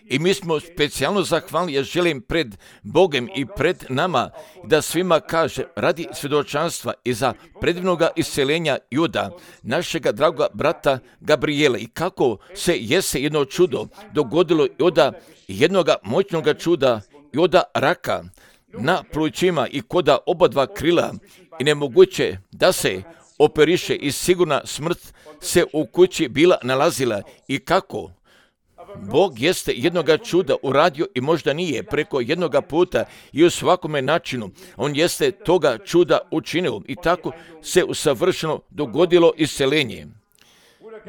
I mi smo specijalno zahvalni, ja želim pred Bogom i pred nama da svima kaže radi svjedočanstva i za predivnoga isceljenja Juda, našega dragoga brata Gabriela, i kako se jese jedno čudo dogodilo i od jednoga moćnoga čuda i od raka na plućima i koda oba dva krila i nemoguće da se operiše i sigurna smrt se u kući bila nalazila, i kako Bog jeste jednoga čuda uradio i možda nije preko jednoga puta i u svakome načinu. On jeste toga čuda učinio i tako se usavršeno dogodilo isceljenje.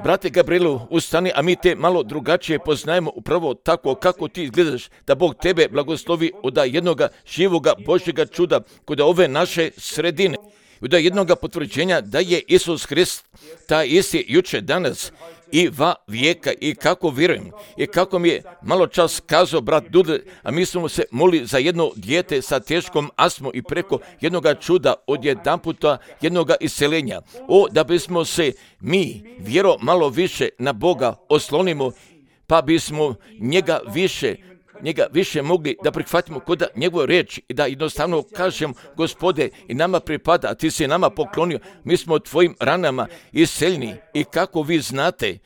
Brate Gabrielu, ustani, a mi te malo drugačije poznajemo upravo tako kako ti izgledaš, da Bog tebe blagoslovi od jednoga živoga Božjega čuda kod ove naše sredine. Od jednoga potvrđenja da je Isus Hrist taj isti juče, danas i va vijeka, i kako vjerujem i kako mi je malo čas kazao brat Dudle, a mi smo se molili za jedno dijete sa teškom astmom i preko jednoga čuda od jedanputa jednoga isceljenja. Da bismo se mi vjero malo više na Boga oslonimo, pa bismo njega više mogli da prihvatimo kod njegove riječi i da jednostavno kažem, Gospode, i nama pripada, a ti si nama poklonio, mi smo tvojim ranama isceljeni, i kako vi znate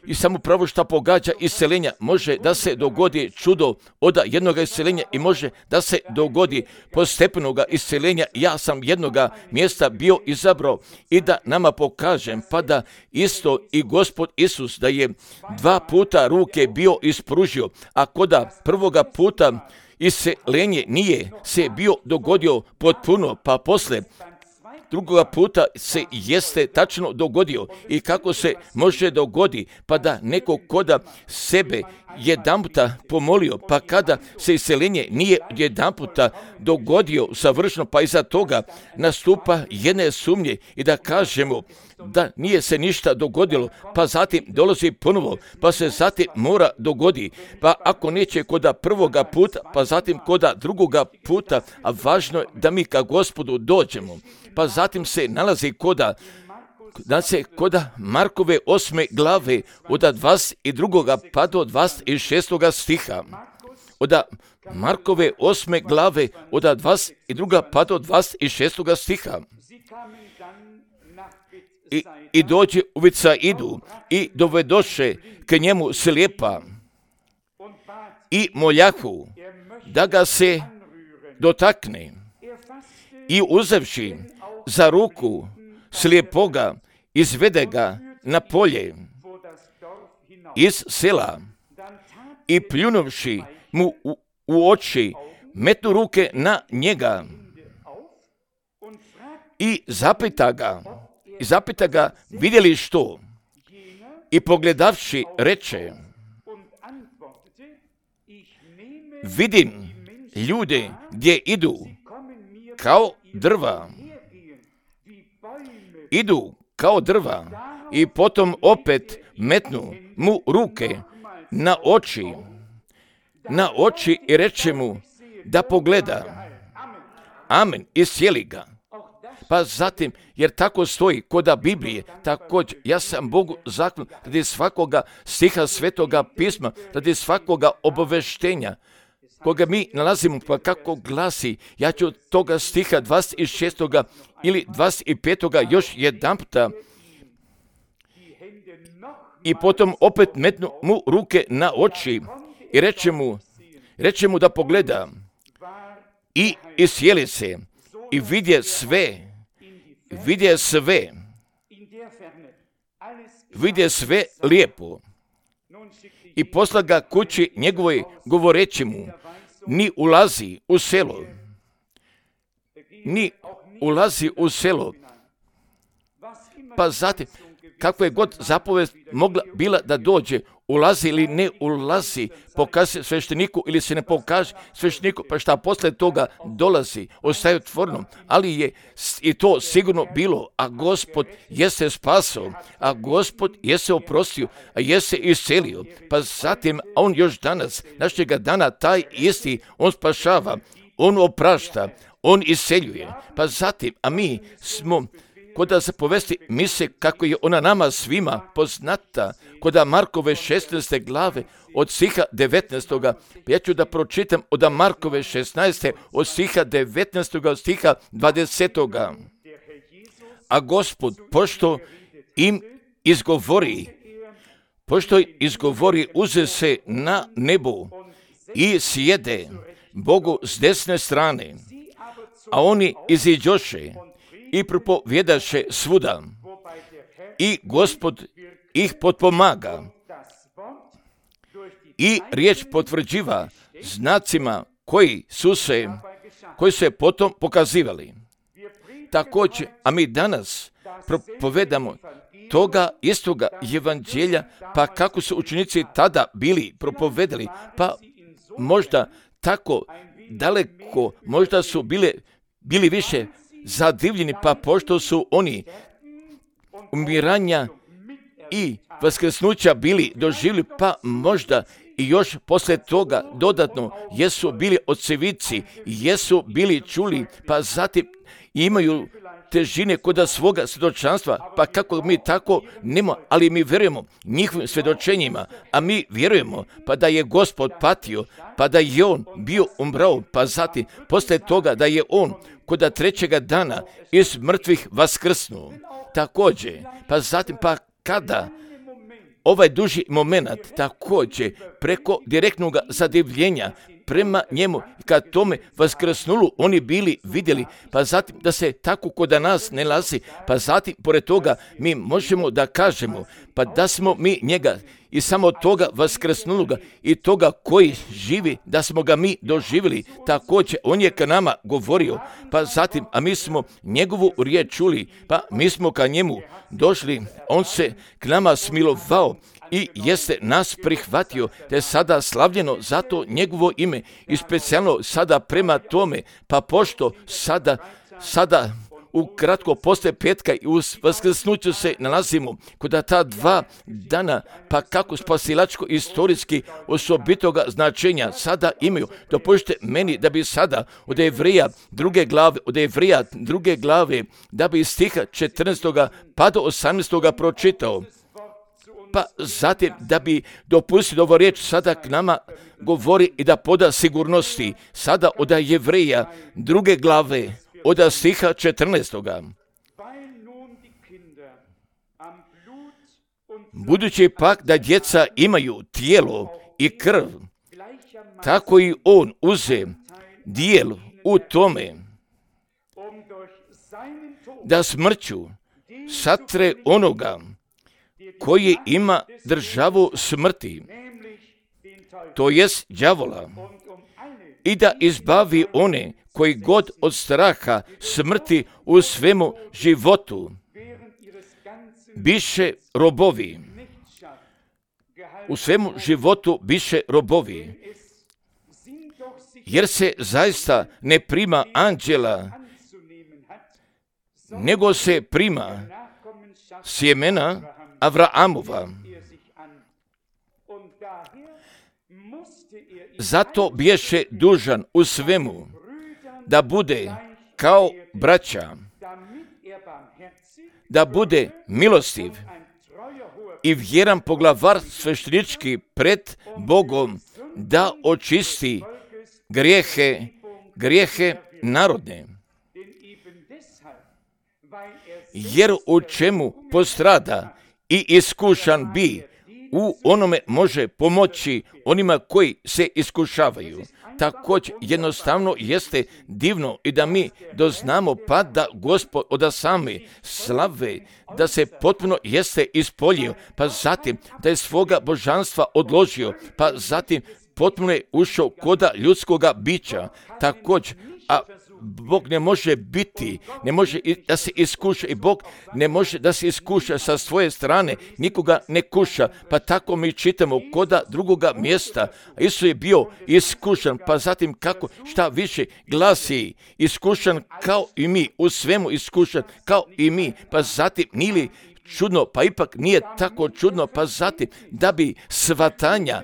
i samo pravo što pogađa isceljenja, može da se dogodi čudo od jednoga isceljenja i može da se dogodi postepenoga isceljenja. Ja sam jednoga mjesta bio izabrao i da nama pokažem, pa da isto i Gospod Isus da je 2 puta ruke bio ispružio, a koda prvoga puta isceljenje nije se bio dogodio potpuno, pa posle drugoga puta se jeste tačno dogodio. I kako se može dogodi, pa da neko koda sebe jedanputa pomolio, pa kada se isceljenje nije jedanputa dogodio savršeno, pa iza toga nastupa jedne sumnje i da kažemo da nije se ništa dogodilo, pa zatim dolazi ponovo, pa se zatim mora dogodi, pa ako neće koda prvoga puta, pa zatim koda drugoga puta, a važno je da mi ka Gospodu dođemo. Pa zatim se nalazi koda Markove 8. glave od 22. pa do 26. stiha. Od Markove 8. glave od 22. pa do 26. stiha. I dođe u Vicaidu i dovedoše k njemu slijepa i moljahu da ga se dotakne, i uzevši za ruku slijepoga izvede ga na polje iz sela i pljunuvši mu u oči metnu ruke na njega i zapita ga vidjeli što, i pogledavši reče, vidim ljude gdje idu kao drva, i potom opet metnu mu ruke na oči i reče mu da pogleda. Amen, iscijeli ga. Pa zatim, jer tako stoji koda Biblije, također ja sam Bogu zakon radi svakoga stiha Svetoga pisma, radi svakoga obaveštenja koga mi nalazimo, pa kako glasi, ja ću toga stiha 26. ili 25. još jedanputa, i potom opet metnu mu ruke na oči i reče mu da pogleda, i isjeli se i vidje sve lijepo, i posla ga kući njegovoj govoreći mu, ni ulazi u selo. Pa zatim, kako je god zapovest mogla bila da dođe, ulazi ili ne ulazi, pokaže svešteniku ili se ne pokaže svešteniku, pa šta posle toga dolazi, ostaje otvoreno, ali je i to sigurno bilo, a Gospod je se spasao, a Gospod je se oprostio, a je se iscelio, pa zatim on još danas, našega dana, taj isti, on spašava, on oprašta, on isceljuje, pa zatim, a mi smo koda se povesti mise kako je ona nama svima poznata, koda Markove 16. glave od stiha 19. Ja ću da pročitam od Markove 16. od stiha 19. stiha 20. A Gospod, pošto im izgovori, uze se na nebu i sjede Bogu s desne strane, a oni iziđoše i propovjedaše svuda i Gospod ih potpomaga i riječ potvrđiva znacima koji su se potom pokazivali. Također, a mi danas propovedamo toga istoga evanđelja, pa kako su učenici tada bili propovedali, pa možda tako daleko, možda su bili više zadivljeni, pa pošto su oni umiranja i vaskrsnuća bili doživjeli, pa možda i još poslije toga dodatno jesu bili očevici, jesu bili čuli, pa zatim imaju težine kod svoga svjedočanstva, pa kako mi tako nemo, ali mi vjerujemo njihovim svjedočenjima, a mi vjerujemo pa da je Gospod patio, pa da je on bio umrao, pa zatim poslije toga da je on kod trećega dana iz mrtvih vaskrsnuo. Također, pa zatim pa kada ovaj duži moment također preko direktnog zadivljenja prema njemu, kad tome vaskrsnulu oni bili vidjeli, pa zatim da se tako kod nas ne nalazi, pa zatim pored toga mi možemo da kažemo, pa da smo mi njega i samo toga vaskrsnuloga i toga koji živi, da smo ga mi doživjeli, također on je ka nama govorio, pa zatim, a mi smo njegovu riječ čuli, pa mi smo ka njemu došli, on se k nama smilovao i jeste nas prihvatio, te sada slavljeno zato njegovo ime i specijalno sada prema tome, pa pošto sada ukratko poslije petka i u vaskrsnuću se nalazimo kod ta 2 dana, pa kako spasilačko istorijski osobitoga značenja sada imaju. Dopustite meni da bi sada od Jevreja druge glave, da bi iz stiha 14. pa do 18. pročitao. Pa zatim da bi dopustio da ovo riječ sada k nama govori i da poda sigurnosti. Sada od Jevreja druge glave od stiha 14. Budući pak da djeca imaju tijelo i krv, tako i on uze dijel u tome, da smrću satre onoga koji ima državu smrti, to jest đavola, i da izbavi one koji god od straha smrti u svemu životu biše robovi. U svemu životu biše robovi. Jer se zaista ne prima anđela, nego se prima sjemena Avraamova. Zato biješe dužan u svemu da bude kao braća, da bude milostiv i vjeran poglavar sveštenički pred Bogom, da očisti grijehe narodne. Jer u čemu postrada i iskušan bi, u onome može pomoći onima koji se iskušavaju. Također jednostavno jeste divno i da mi doznamo pa da Gospod od same slave, da se potpuno jeste ispoljio, pa zatim da je svoga božanstva odložio, pa zatim potpuno je ušao koda ljudskoga bića. Također, a Bog ne može da se iskuša i Bog ne može da se iskuša sa svoje strane, nikoga ne kuša, pa tako mi čitamo koda drugoga mjesta. Isus je bio iskušan, pa zatim kako, šta više glasi, iskušan kao i mi, u svemu iskušan kao i mi, pa zatim nije li čudno, pa ipak nije tako čudno, pa zatim da bi svatanja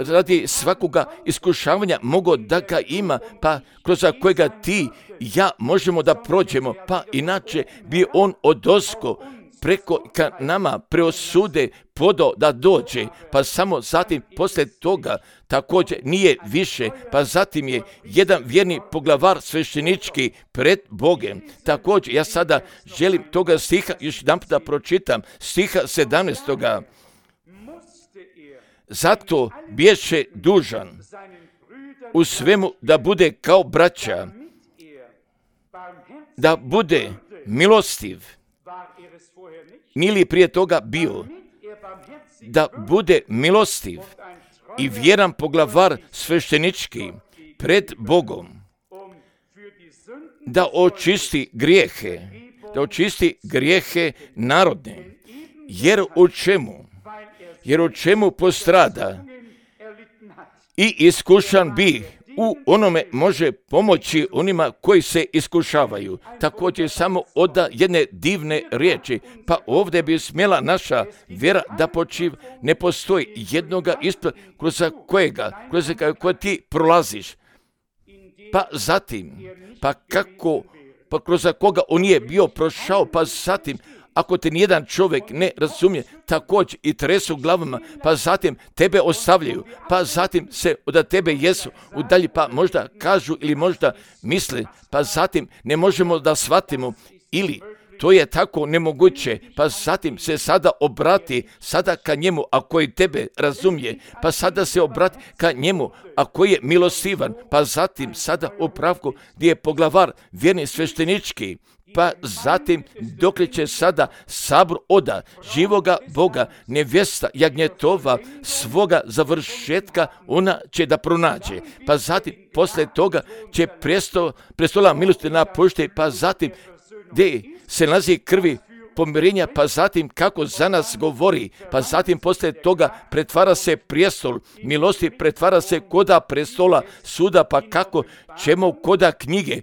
radi svakoga iskušavanja mogao da ga ima, pa kroz kojega ti i ja možemo da prođemo, pa inače bi on odosko preko ka nama preosude podao da dođe, pa samo zatim poslije toga također nije više, pa zatim je jedan vjerni poglavar sveštenički pred Bogem. Također ja sada želim toga stiha još jedan da pročitam, stiha 17. Zato biješe dužan u svemu da bude kao braća, da bude milostiv, nije li prije toga bio, da bude milostiv i vjeran poglavar sveštenički pred Bogom, da očisti grijehe narodne, jer u čemu postrada i iskušan bi u onome može pomoći onima koji se iskušavaju. Također samo oda jedne divne riječi, pa ovdje bi smjela naša vjera da počiva. Ne postoji jednoga ispred kroz koje ti prolaziš. Pa zatim, pa kroz koga on nije bio prošao, pa zatim, ako te nijedan čovjek ne razumije, također i tresu glavama, pa zatim tebe ostavljaju, pa zatim se od tebe jesu udalji, pa možda kažu ili možda misle, pa zatim ne možemo da shvatimo ili to je tako nemoguće, pa zatim se sada obrati sada ka njemu, a koji tebe razumije, pa sada se obrati ka njemu, a koji je milostivan, pa zatim sada u pravku gdje je poglavar vjerni sveštenički, pa zatim dokle će sada sabor oda živoga Boga, nevjesta jagnjetova svoga završetka, ona će da pronađe. Pa zatim poslije toga će prestola milosti napušte, pa zatim gdje se nalazi krvi pomirenja, pa zatim kako za nas govori, pa zatim poslije toga pretvara se prijestol milosti, pretvara se koda prestola suda, pa kako ćemo koda knjige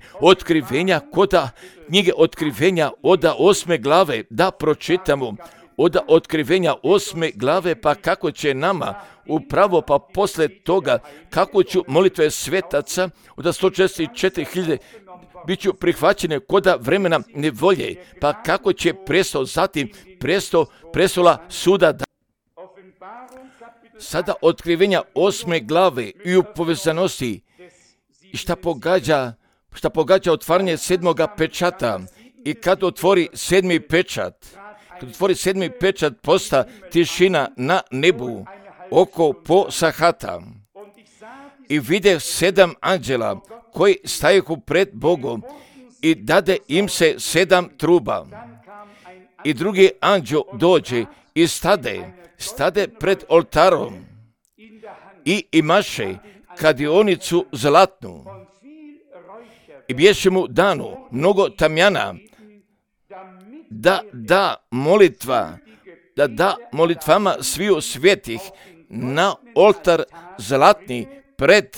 otkrivenja oda 8. glave da pročitamo, oda otkrivenja 8. glave, pa kako će nama upravo pa poslije toga kako ću molitve svetaca od 144.000 bit ću prihvaćene koda vremena nevolje, pa kako će prestola suda da. Sada otkrivenja 8. glave i u povezanosti i šta pogađa otvaranje 7. pečata i kad otvori 7. pečat, posta tišina na nebu oko po sahata i vide 7 anđela koji stajehu pred Bogom i dade im se 7 truba. I drugi anđel dođe i stade pred oltarom i imaše kadionicu zlatnu. I bješe mu danu mnogo tamjana da molitvama sviju svetih na oltar zlatni pred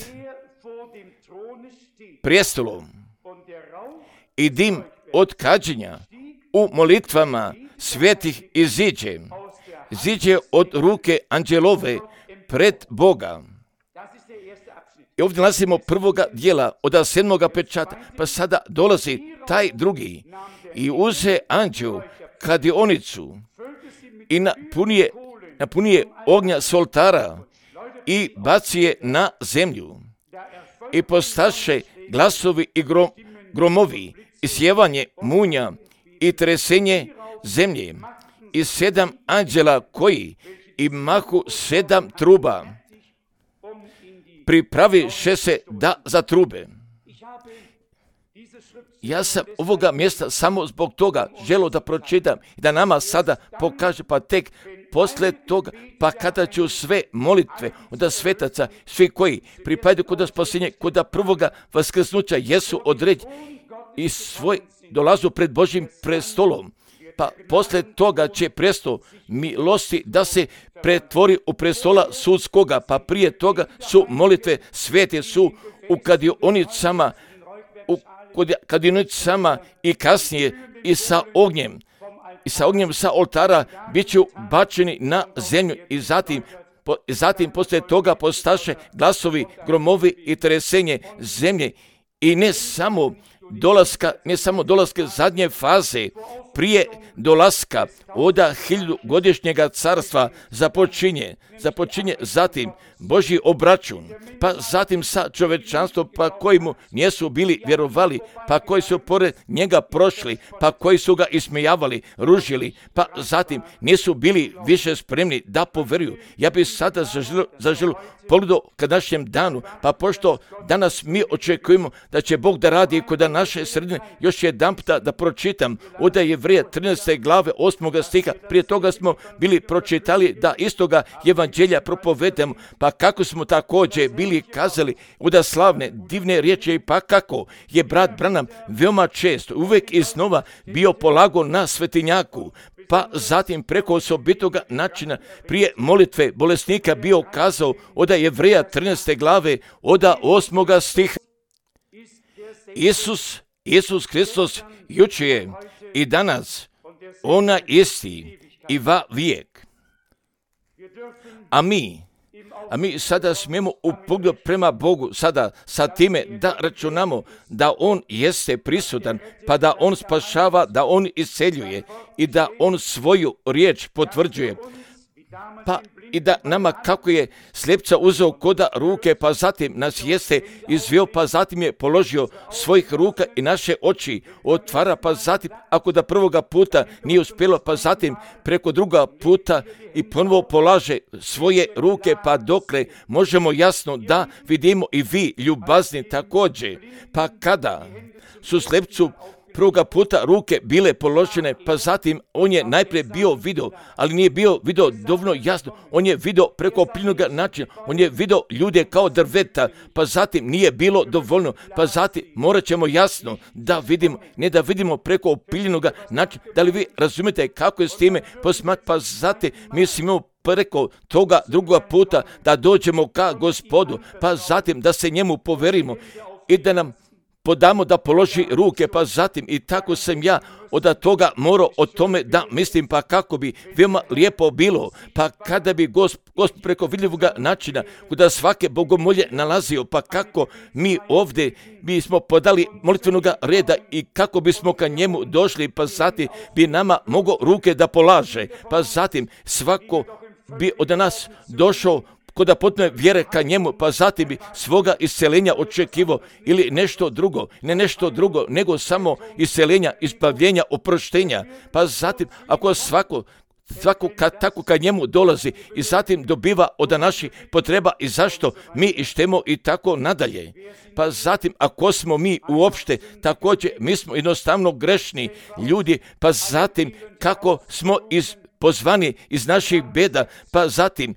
prijestolom i dim od kađenja u molitvama svetih iziđe od ruke anđelove pred Boga. I ovdje nalazimo prvoga dijela od 7. pečata, pa sada dolazi taj drugi i uze anđel kadionicu i napunije ognja s oltara i baci je na zemlju i postaše glasovi i gromovi i sjevanje munja i tresenje zemlje i 7 anđela koji imahu 7 truba pripraviše se da zatrube. Ja sam ovoga mjesta samo zbog toga želio da pročitam i da nama sada pokaže, pa tek poslije toga, pa kada ću sve molitve od svetaca, svi koji pripadaju kod spasenja, kod prvoga vaskrsnuća jesu određeni i svoj dolazu pred Božjim prestolom. Pa poslije toga će prestol milosti da se pretvori u prestola sudskoga, pa prije toga su molitve svete su u kadionicama i kasnije i sa ognjem sa oltara bit ću bačeni na zemlju i zatim zatim poslije toga postaše glasovi, gromovi i tresenje zemlje i ne samo dolaska zadnje faze, prije dolaska oda 1000-godišnjega carstva započinje zatim Božji obračun, pa zatim sa čovečanstvom, pa koji mu nisu bili vjerovali, pa koji su pored njega prošli, pa koji su ga ismijavali, ružili, pa zatim nisu bili više spremni da poveruju. Ja bih sada zaželio pogledao ka našem danu, pa pošto danas mi očekujemo da će Bog da radi kod naše sredine, još jedan puta da pročitam od Jevreja 13. glave 8. stiha. Prije toga smo bili pročitali da istoga evanđelja propovedamo, pa kako smo također bili kazali od slavne, divne riječi, pa kako je brat Branham veoma često, uvijek iznova bio polago na svetinjaku, pa zatim preko osobitoga načina prije molitve bolesnika bio kazao od Jevreja 13. glave od 8. stiha. Isus Hristos jučer i danas ona isti i va vijek. A mi sada smijemo u pogledu prema Bogu sada sa time da računamo da On jeste prisutan, pa da On spašava, da On isceljuje i da On svoju riječ potvrđuje. Pa i da nama kako je slijepca uzeo koda ruke, pa zatim nas jeste izveo, pa zatim je položio svojih ruka i naše oči otvara, pa zatim ako da prvoga puta nije uspjelo, pa zatim preko druga puta i ponovo polaže svoje ruke, pa dokle možemo jasno da vidimo i vi ljubazni također. Pa kada su slijepcu prvoga puta ruke bile položene, pa zatim on je najprije bio video, ali nije bio video dovoljno jasno, on je video preko plinog načina, on je video ljude kao drveta, pa zatim nije bilo dovoljno, pa zatim morat ćemo jasno da vidimo, ne da vidimo preko plinog načina. Da li vi razumijete kako je s time posmat, pa zatim mi smo preko toga drugoga puta da dođemo ka Gospodu, pa zatim da se njemu poverimo i da nam podamo da položi ruke, pa zatim i tako sam ja od toga morao o tome da mislim, pa kako bi veoma lijepo bilo, pa kada bi Gospod preko vidljivog načina kuda svake bogomolje nalazio, pa kako mi ovdje bismo podali molitvenog reda i kako bismo ka njemu došli, pa zatim bi nama mogao ruke da polaže, pa zatim svako bi od nas došao kod potpune vjere ka njemu, pa zatim bi svoga isceljenja očekivao ili nešto drugo, ne nešto drugo, nego samo isceljenja, ispavljenja, oproštenja. Pa zatim, ako svako tako ka njemu dolazi i zatim dobiva od naših potreba i zašto mi ištemo i tako nadalje. Pa zatim, ako smo mi uopšte također, mi smo jednostavno grešni ljudi, pa zatim kako smo pozvani iz naših beda, pa zatim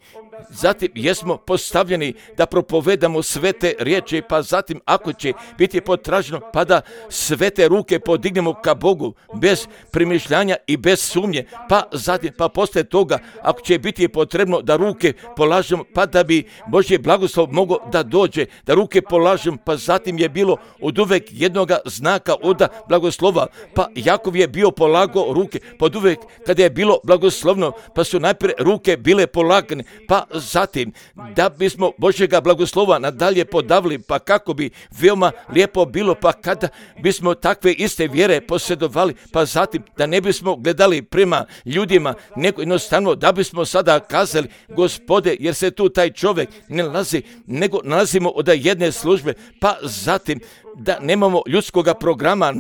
jesmo postavljeni da propovedamo sve te riječi, pa zatim ako će biti potraženo, pa da sve te ruke podignemo ka Bogu bez premišljanja i bez sumnje, pa zatim, pa poslije toga ako će biti potrebno da ruke polažemo, pa da bi Božji blagoslov mogao da dođe, da ruke polažemo, pa zatim je bilo od uvek jednoga znaka od blagoslova, pa Jakov je bio polagao ruke, pod uvek kada je bilo blagoslovno, pa su najprije ruke bile polagane, pa zatim da bismo Božjega blagoslova nadalje podavili, pa kako bi veoma lijepo bilo, pa kada bismo takve iste vjere posjedovali, pa zatim da ne bismo gledali prema ljudima, nego jednostavno da bismo sada kazali, Gospode, jer se tu taj čovjek ne nalazi, nego nalazimo od jedne službe, pa zatim da nemamo ljudskoga programa,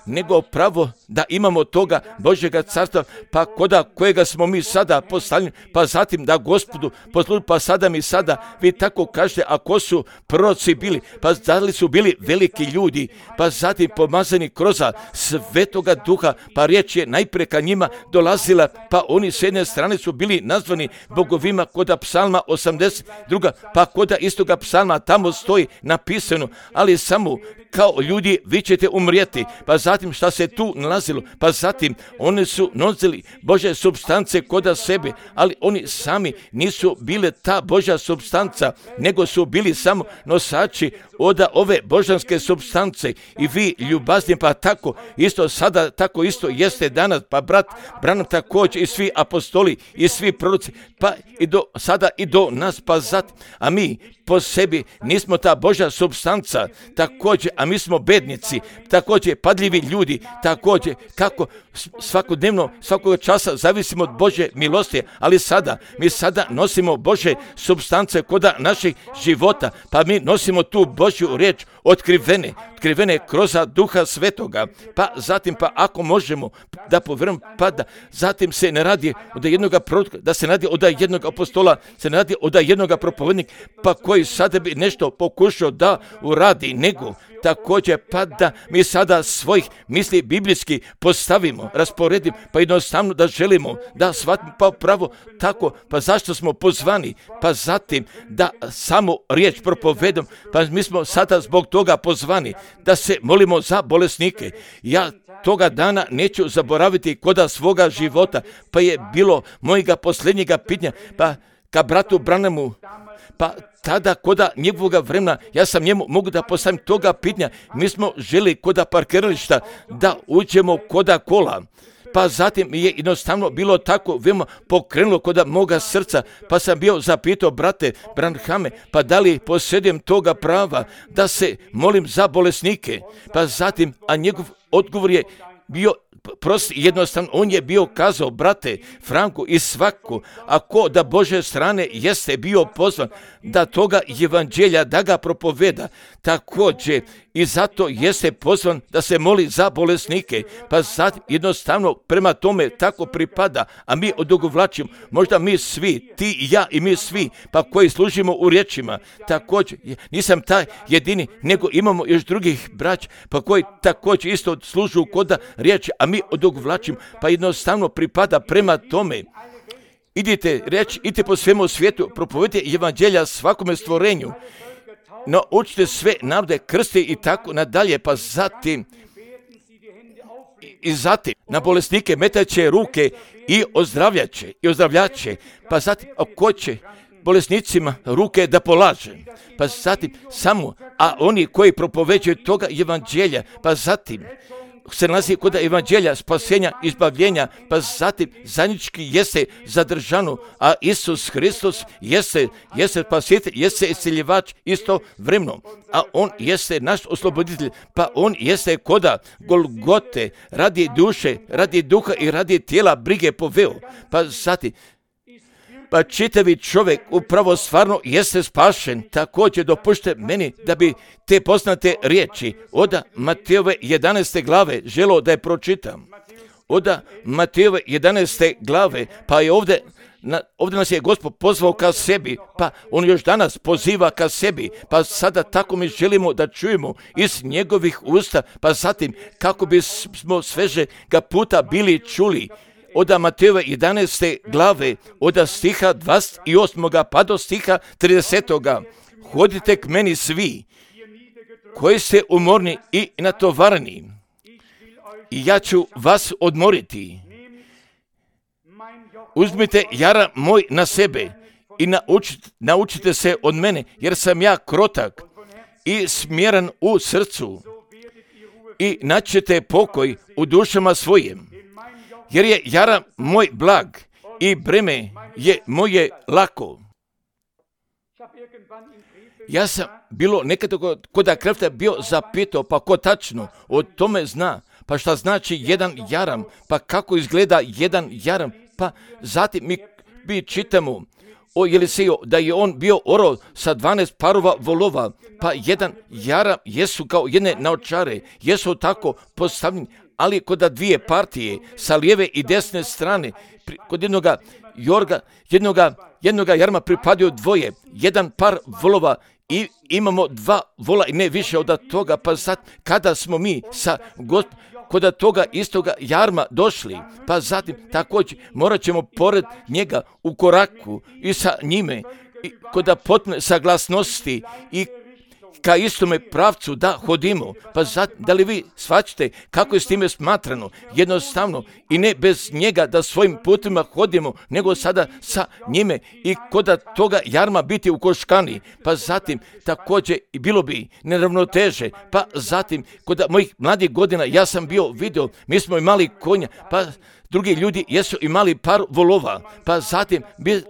nego pravo da imamo toga Božjega carstva, pa koda kojega smo mi sada postavljeni, pa zatim da Gospodu posluži, pa sada mi sada, vi tako kažete, ako su proroci bili, pa da li su bili veliki ljudi, pa zatim pomazani kroz Svetoga Duha, pa riječ je najprije ka njima dolazila, pa oni s jedne strane su bili nazvani bogovima koda psalma 82, pa koda istoga psalma tamo stoji napisano, ali samo kao ljudi vi ćete umrijeti, pa zatim šta se tu nalazilo, pa zatim oni su nosili Božje supstance koda sebe, ali oni sami nisu bile ta Božja supstanca, nego su bili samo nosači od ove božanske supstance i vi ljubazni, pa tako isto sada, tako isto jeste danas, pa brat Branham također i svi apostoli i svi proroci, pa i do sada i do nas, pa zatim, a mi po sebi nismo ta Božja supstanca, također, a mi smo bednici, također padljivi ljudi, također kako svakodnevno, svakog časa zavisimo od Božje milosti, ali sada, mi sada nosimo Božje supstance kod naših života, pa mi nosimo tu Božju riječ otkrivene kroz Duha Svetoga, pa zatim, pa ako možemo da povjerujemo, pa da zatim se ne radi od jednoga proroka, da se ne radi od jednog apostola, se ne radi od jednoga propovednika, pa koji sada bi nešto pokušao da uradi, nego također pa da mi sada svojih misli biblijski postavimo, rasporedimo, pa jednostavno da želimo da shvatimo, pa pravo tako, pa zašto smo pozvani, pa zatim da samo riječ propovedom, pa mi smo sada zbog toga pozvani da se molimo za bolesnike. Ja toga dana neću zaboraviti koda svoga života, pa je bilo mojega posljednjega pitanja, pa ka bratu Branhamu, pa tada koda njegovoga vremena, ja sam njemu mogu da postavim toga pitanja, mi smo želi koda parkirališta da uđemo koda kola. Pa zatim je jednostavno bilo tako veoma pokrenulo koda moga srca, pa sam bio zapitao brate Branhame, pa da li posjedujem toga prava da se molim za bolesnike, pa zatim, a njegov odgovor je bio prost, jednostavno, on je bio kazao, brate Franko, i svako, ako da Bože strane jeste bio pozvan da toga evanđelja da ga propoveda, također i zato jeste pozvan da se moli za bolesnike, pa sad jednostavno prema tome tako pripada, a mi odugovlačimo, možda mi svi, ti i ja i mi svi, pa koji služimo u riječima, također, nisam taj jedini, nego imamo još drugih brać, pa koji također isto služu koda riječi, a mi odugovlačimo, pa jednostavno pripada prema tome. Idite po svemu svijetu, propovedite evanđelja svakome stvorenju, naučite sve narode, krste i tako nadalje, pa zatim na bolesnike metaće ruke i ozdravljaće, pa zatim ko će bolesnicima ruke da polaže, pa zatim samo, a oni koji propoveđuju toga evanđelja, pa zatim se nalazi kod evanđelja spasenja, izbavljenja, pa zatim zajednički jeste zadržano, a Isus Hristos jeste spasitelj, jeste isceljivač isto vremeno, a on jeste naš osloboditelj, pa on jeste koda Golgote, radi duše, radi duha i radi tijela brige poveo, pa zatim pa čitavi čovjek upravo stvarno jeste spašen. Također dopušte meni da bi te poznate riječi od Matejove 11. glave želo da je pročitam. Od Matejove 11. glave, pa je ovdje nas je Gospod pozvao ka sebi, pa on još danas poziva ka sebi, pa sada tako mi želimo da čujemo iz njegovih usta, pa zatim kako bismo sveže ga puta bili čuli. Od Matejove 11. glave, od stiha 28. pa do stiha 30. Hodite k meni svi, koji ste umorni i natovareni, i ja ću vas odmoriti. Uzmite jara moj na sebe i naučite se od mene, jer sam ja krotak i smjeran u srcu, i naćete pokoj u dušama svojim. Jer je jara moj blag i breme je moje lako. Ja sam bilo nekada kod Krefta bio zapitao, pa ko tačno o tome zna, pa šta znači jedan jaram, pa kako izgleda jedan jaram, pa zatim mi čitamo o Eliseju da je on bio orao sa 12 parova volova, pa jedan jaram jesu kao jedne naočare, jesu tako postavljeni, ali kod dvije partije sa lijeve i desne strane, kod jednoga jarma pripadaju dvoje, jedan par volova i imamo dva vola i ne više od toga, pa sad kada smo mi sa kod toga istoga jarma došli, pa zatim također morat ćemo pored njega u koraku i sa njime, i kod potpune saglasnosti i ka istome pravcu da hodimo. Pa da li vi shvaćate kako je s time smatrano? Jednostavno i ne bez njega da svojim putima hodimo, nego sada sa njime i koda toga jarma biti u koškani. Pa zatim također i bilo bi neravnoteže. Pa zatim kod mojih mladih godina ja sam bio vidio, mi smo imali konja, pa drugi ljudi jesu imali par volova, pa zatim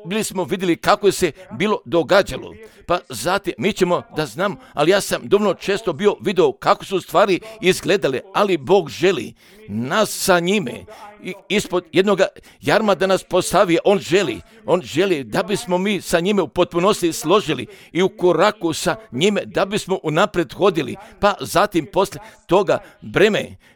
bili smo vidjeli kako se bilo događalo. Pa zatim mi ćemo da znam, ali ja sam dovoljno često bio vidio kako su stvari izgledale, ali Bog želi nas sa njime ispod jednog jarma da nas postavi. On želi da bismo mi sa njime u potpunosti složili i u koraku sa njime da bismo unaprijed hodili. Pa zatim posle toga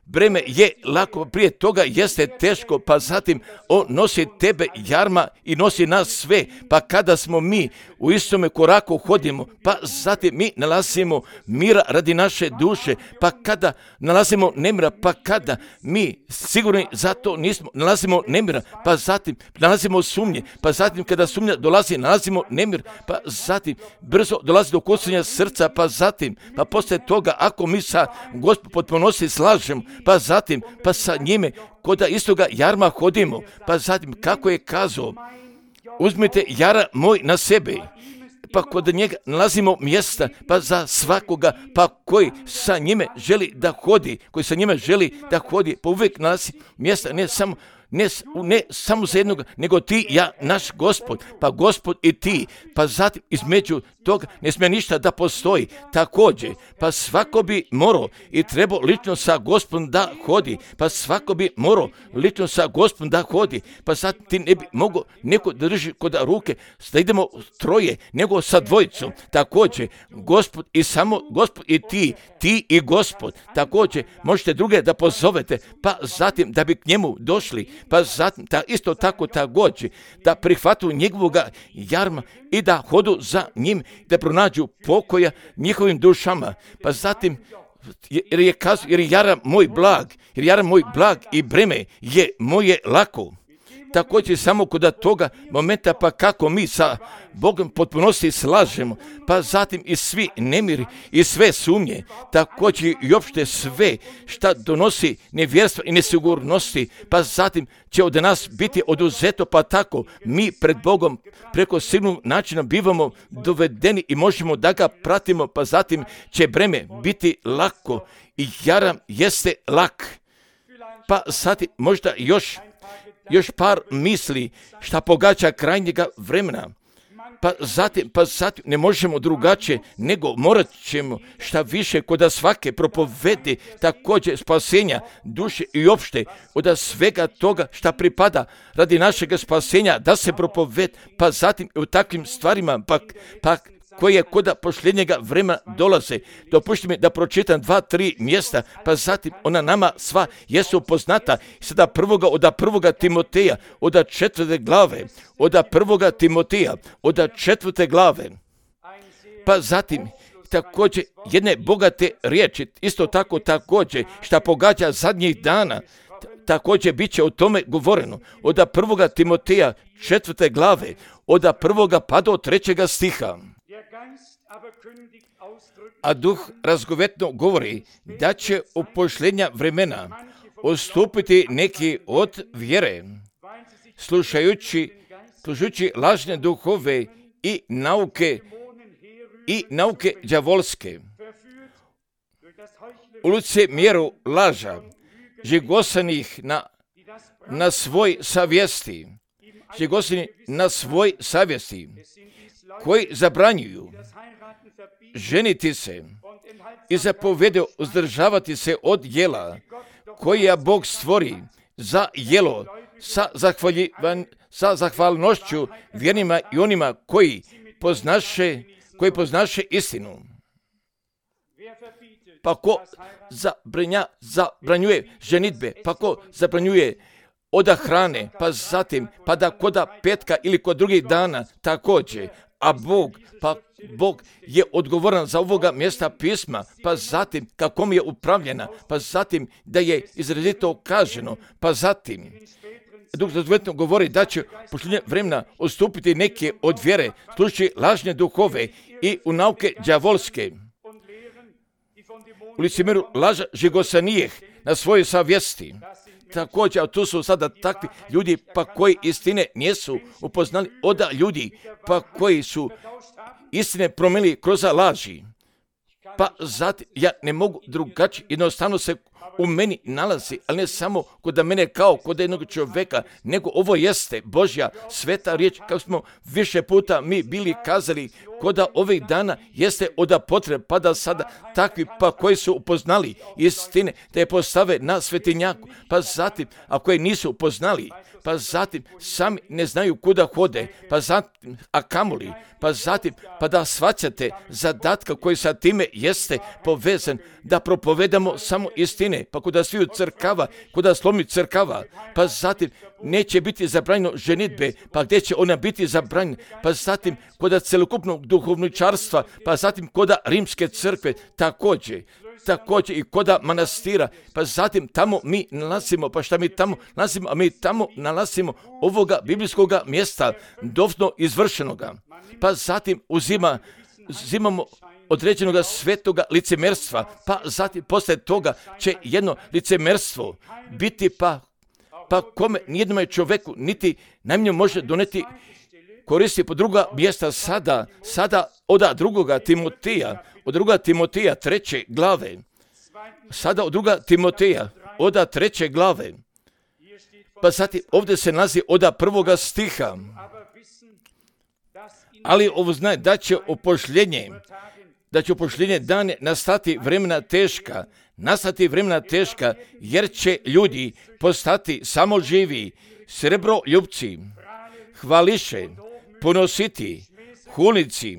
breme je lako, prije toga jeste teško, pa zatim on nosi tebe jarma i nosi nas sve. Pa kada smo mi u istome koraku hodimo, pa zatim mi nalazimo mira radi naše duše, pa kada nalazimo nemira, pa kada mi sigurni za to nismo, nalazimo nemira, pa zatim nalazimo sumnje, pa zatim kada sumnja dolazi, nalazimo nemir, pa zatim brzo dolazi do kucanja srca, pa zatim, pa poslije toga ako mi sa Gospodom potpunosti slažemo, pa zatim, pa sa njime koda istoga jarma hodimo, pa zatim kako je kazao, uzmite jara moj na sebe, pa kod njega nalazimo mjesta, pa za svakoga, pa koji sa njime želi da hodi, pa uvijek nalazi mjesta, ne samo za jednog, nego ti, ja, naš Gospod, pa Gospod i ti, pa zatim između toga ne smije ništa da postoji. Također, pa svako bi morao i trebao lično sa Gospodom da hodi, pa svako bi morao lično sa Gospodom da hodi, pa sad ti ne bi mogao neko da drži kod ruke, da idemo troje, nego sa dvojicom. Također, Gospod i samo Gospod i ti i Gospod. Također, možete druge da pozovete, pa zatim da bi k njemu došli, pa zatim da isto tako također da prihvatu njegovoga jarma i da hodu za njim, da pronađu pokoja njihovim dušama. Pa zatim jer je jaram moj blag i breme je moje lako. Također samo kod toga momenta, pa kako mi sa Bogom potpunosti slažemo, pa zatim i svi nemiri i sve sumnje, također i opšte sve šta donosi nevjerstva i nesigurnosti, pa zatim će od nas biti oduzeto, pa tako mi pred Bogom preko sigurnog načina bivamo dovedeni i možemo da ga pratimo, pa zatim će breme biti lako i jaram jeste lak. Pa zatim možda još par misli šta pogađa krajnjega vremena. Pa zatim ne možemo drugačije, nego morat ćemo šta više kod svake propovedi također spasenja duše i opšte od svega toga šta pripada radi našeg spasenja da se propoved, pa zatim u takvim stvarima pa koje kod posljednjega vremena dolaze. Dopušti mi da pročitam 2-3 mjesta, pa zatim ona nama sva jesu poznata. Sada od prvoga Timoteja, od 4. glave, od 1. Timoteja, od 4. glave, pa zatim također jedne bogate riječi, isto tako također šta pogađa zadnjih dana, također bit će o tome govoreno. Od 1. Timoteja 4. glave, od 1. pa do 3. stiha. A duh razgovetno govori da će u posljednja vremena odstupiti neki od vjere, slušajući lažne duhove i nauke đavolske, u licemjeru laža, žigosanih na svoj savjesti, koji zabranjuju ženiti se i zapovedu uzdržavati se od jela koja Bog stvori za jelo sa zahvalnošću vjernima i onima koji poznaše istinu. Pa ko zabranjuje ženitbe, pa ko zabranjuje od hrane, pa zatim, pa da koda petka ili kod drugih dana također, a Bog je odgovoran za ovoga mjesta pisma, pa zatim kako mi je upravljena, pa zatim da je izrazito kaženo, pa zatim Duh razgovetno govori da će posljednje vremena odstupiti neke od vjere, slušajući lažne duhove i u nauke đavolske. u licemjeru laža žigosanijeh na svojoj savjesti. Također, a tu su sada takvi ljudi pa koji istine nisu upoznali od ljudi, pa koji su istine promijenili kroz laži. Pa zatim ja ne mogu drugačije, jednostavno se u meni nalazi, ali ne samo kod mene kao kod jednog čovjeka, nego ovo jeste Božja sveta riječ, kao smo više puta mi bili kazali, kod ovih dana jeste od potrebe, pa da sada takvi pa koji su upoznali istine, da je postave na svetinjaku, pa zatim, ako je nisu upoznali, pa zatim sami ne znaju kuda hode, pa zatim, a kamoli, pa zatim, pa da shvaćate zadatka koji sa time jeste povezan, da propovedamo samo istine, pa kuda sviju crkava, kuda slomi crkava, pa zatim neće biti zabranjeno ženitbe, pa gdje će ona biti zabranjena, pa zatim kuda celokupnog duhovničarstva, pa zatim kuda rimske crkve, također i koda manastira, pa zatim tamo mi nalazimo, pa šta mi tamo nalazimo, a mi tamo nalazimo ovoga biblijskoga mjesta, doslovno izvršenoga, pa zatim uzimamo određenog svetoga licemerstva, pa zatim poslije toga će jedno licemerstvo biti pa kome nijednome čovjeku niti najmanje može doneti koristi po druga mjesta sada od drugoga Timotija 3. glave, sada od druga Timoteja od 3. glave, pa zatim ovdje se nalazi od 1. stiha, ali ovo zna da će upošljenje dane nastati vremena teška, jer će ljudi postati samoživi, srebroljupci, hvališe, ponositi, hulnici,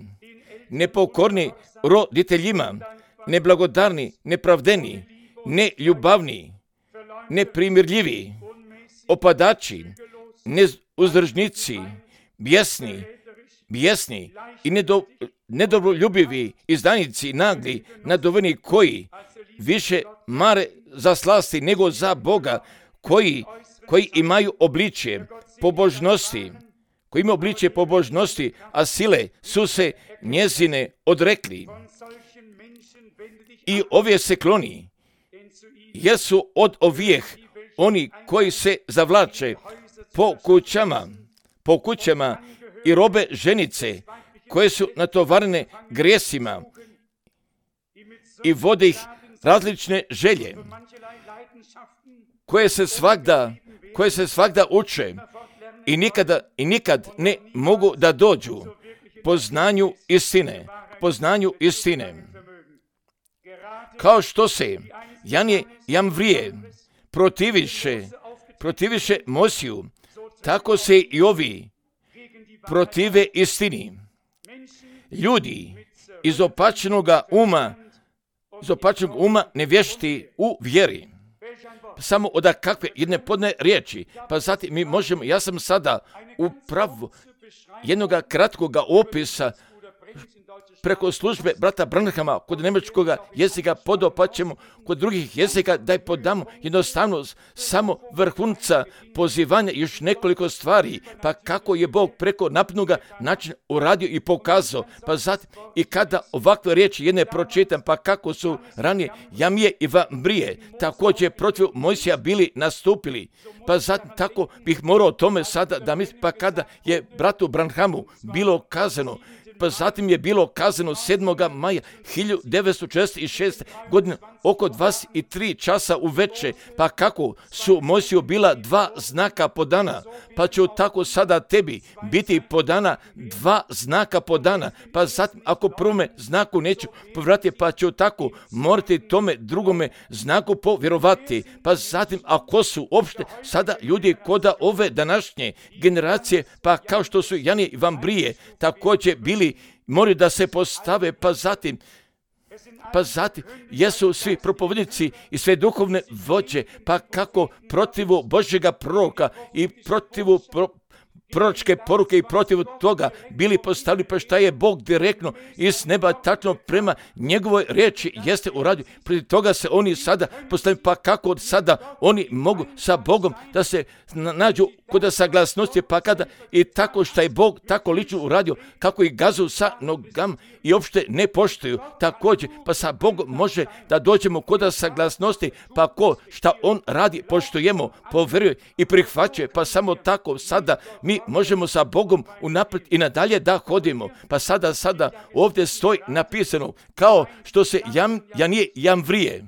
nepokorni roditeljima, neblagodarni, nepravdeni, neljubavni, neprimirljivi, opadači, neuzdržnici, bijesni i nedobroljubivi, izdajnici, nagli, naduveni, koji više mare za slasti nego za Boga, koji imaju obličje pobožnosti, a sile su se njezine odrekli. I ovje se kloni, jer su od ovijeh oni koji se zavlače po kućama i robe ženice, koje su natovarene grijesima i vode ih različne želje, koje se svagda uče i nikad ne mogu da dođu poznanju istine. Kao što se Janje Jamvrije protiviše Mosiju, tako se i ovi protive istini. Ljudi iz opačenog uma nevješti u vjeri. Samo od kakve jedne podne riječi. Pa zatim mi možemo, ja sam sada u pravu jednog kratkog opisa preko službe brata Branhama kod njemačkog jezika pa ćemo kod drugih jezika da je podamo jednostavno samo vrhunca pozivanja još nekoliko stvari, pa kako je Bog preko napnuga način uradio i pokazao, pa zatim i kada ovakve riječi jedne pročitam, pa kako su ranije Jamije i Vambrije također protiv Mojsija bili nastupili, pa zatim tako bih morao o tome sada da mislim, pa kada je bratu Branhamu bilo kazano, pa zatim je bilo kazano 7. maja 1946. godine oko 23 časa uveče, pa kako su Mojsiju bila 2 znaka podana, pa će tako sada tebi biti podana 2 znaka podana, pa zatim ako prvome znaku neću povratiti, pa ću tako morati tome drugome znaku povjerovati, pa zatim ako su opšte sada ljudi koda ove današnje generacije, pa kao što su Janje i Vambrije također bili, moraju da se postave, pa zatim jesu svi propovednici i sve duhovne vođe, pa kako protivu Božjega proroka i protivu proročke poruke i protiv toga bili postavili, pa šta je Bog direktno iz neba tačno prema njegovoj riječi jeste uradio. Protiv toga se oni sada postavili, pa kako sada oni mogu sa Bogom da se nađu kod saglasnosti, pa kada i tako šta je Bog tako lično uradio, kako ih gazu sa nogama i uopšte ne poštuju također, pa sa Bogom može da dođemo kod saglasnosti, pa ko šta on radi poštujemo, poveruje i prihvaćuje, pa samo tako sada mi možemo sa Bogom unaprijed i nadalje da hodimo. Pa sada ovdje stoji napisano kao što se Janije Jamvrije,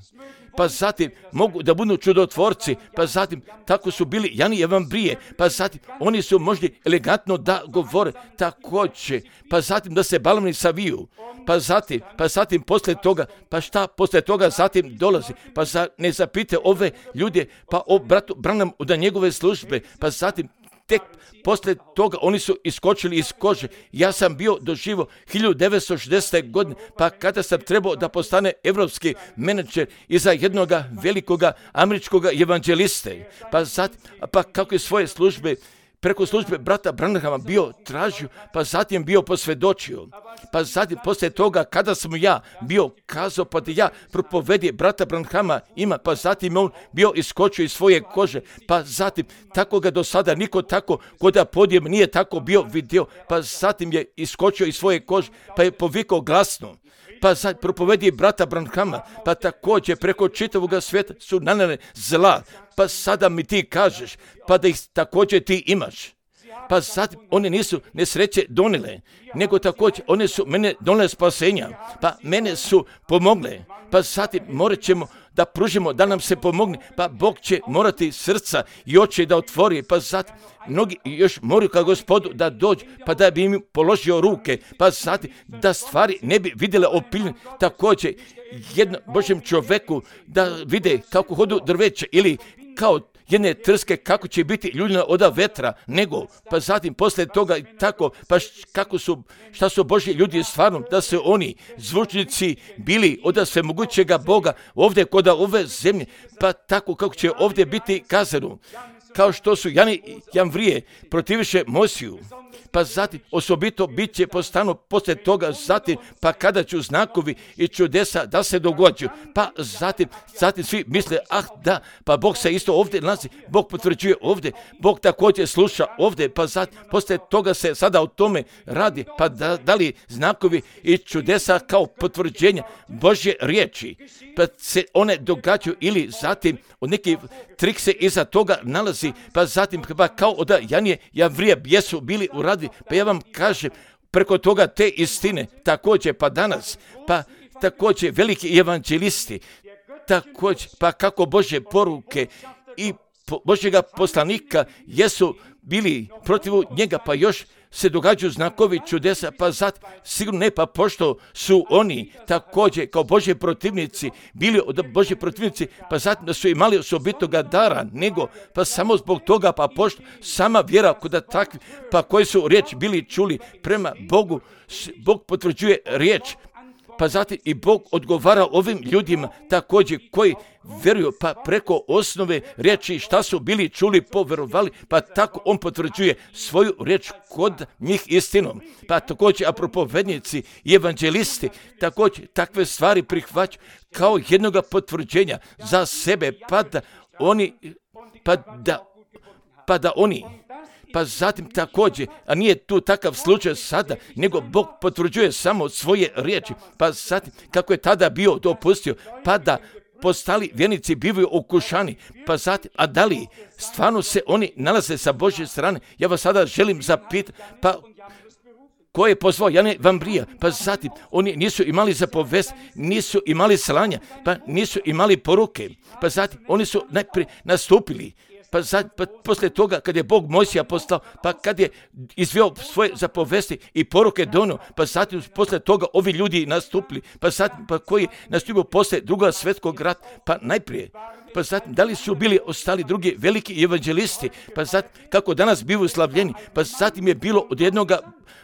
pa zatim mogu da budu čudotvorci, pa zatim tako su bili Jani i Jamvrije, pa zatim oni su možda elegantno da govore također, pa zatim da se baloni saviju, pa zatim poslije toga, pa šta poslije toga zatim dolazi, pa ne zapite ove ljude, pa o bratu Branham da njegove službe, pa zatim tek poslije toga oni su iskočili iz kože. Ja sam bio doživio 1960. godine, pa kada sam trebao da postane evropski menadžer iza jednoga velikoga američkoga evanđeliste, pa kako je svoje službe preko službe brata Branhama bio tražio, pa zatim bio posvjedočio. Pa zatim poslije toga kada sam ja bio kazao, pa da ja propovedje brata Branhama ima, pa zatim on bio iskočio iz svoje kože, pa zatim tako ga do sada niko tako kod podijem nije tako bio vidio, pa zatim je iskočio iz svoje kože, pa je povikao glasno. Pa sad propovedi brata Branhama, pa također preko čitavoga svijeta su nanele zla, pa sada mi ti kažeš, pa da ih također ti imaš. Pa sad one nisu nesreće donile, nego također one su mene donile spasenja, pa mene su pomogle, pa zatim morat ćemo da pružimo da nam se pomogne, pa Bog će morati srca i oči da otvori, pa zatim mnogi još moraju ka Gospodu da dođu, pa da bi im položio ruke, pa zatim da stvari ne bi vidjele opiljene, također jednom Božjem čovjeku da vide kako hodu drveće ili kao jedne trske kako će biti ljuljena od vetra, nego pa zatim poslije toga i tako, pa šta su Božji ljudi stvarno, da su oni zvučnici bili od svemogućega Boga ovdje kod ove zemlje, pa tako kako će ovdje biti kazano, kao što su Jani Jamvrije protiviše Mojsiju, pa zatim osobito bit će postano poslije toga, zatim pa kada ću znakovi i čudesa da se događaju, pa zatim svi misle, da, pa Bog se isto ovdje nalazi, Bog potvrđuje ovdje, Bog također sluša ovdje, pa zatim poslije toga se sada o tome radi, pa da li znakovi i čudesa kao potvrđenja Božje riječi, pa se one događaju ili zatim od neki trik se iza toga nalazi, pa zatim pa kao od Janije Jamvrije jesu bili uradili, pa ja vam kažem, preko toga te istine, također pa danas, pa također veliki evanđelisti, također pa kako Božje poruke i Božjega poslanika jesu bili protiv njega, pa još se događaju znakovi čudesa, pa zatim sigurno ne, pa pošto su oni također kao Božji protivnici bili od Božji protivnici, pa zatim da su imali osobitoga dara, nego pa samo zbog toga, pa pošto sama vjera kod takvi, pa koji su riječ bili čuli prema Bogu, Bog potvrđuje riječ, pa zatim i Bog odgovara ovim ljudima također koji vjeruju, pa preko osnove riječi šta su bili čuli, poverovali, pa tako on potvrđuje svoju riječ kod njih istinom. Pa također, a propovednici i evanđelisti također takve stvari prihvaćaju kao jednoga potvrđenja za sebe, pa zatim također, a nije tu takav slučaj sada, nego Bog potvrđuje samo svoje riječi, pa zatim kako je tada bio dopustio, pa da postali vjernici bivaju okušani, pa zatim, a da li stvarno se oni nalaze sa Božje strane? Ja vas sada želim zapitati, pa ko je pozvao Jana Jamvrija, pa zatim oni nisu imali zapovest, nisu imali slanja, pa nisu imali poruke, pa zatim oni su najprije nastupili, pa poslije toga kad je Bog Mojsija poslao, pa kad je izveo svoje zapovesti i poruke donio, pa zatim poslije toga ovi ljudi nastupili, pa zatim pa koji nastupio poslije Drugog svjetskog rata, pa najprije pa zatim da li su bili ostali drugi veliki evanđelisti, pa zatim kako danas bivaju slavljeni, pa zatim je bilo od jednoga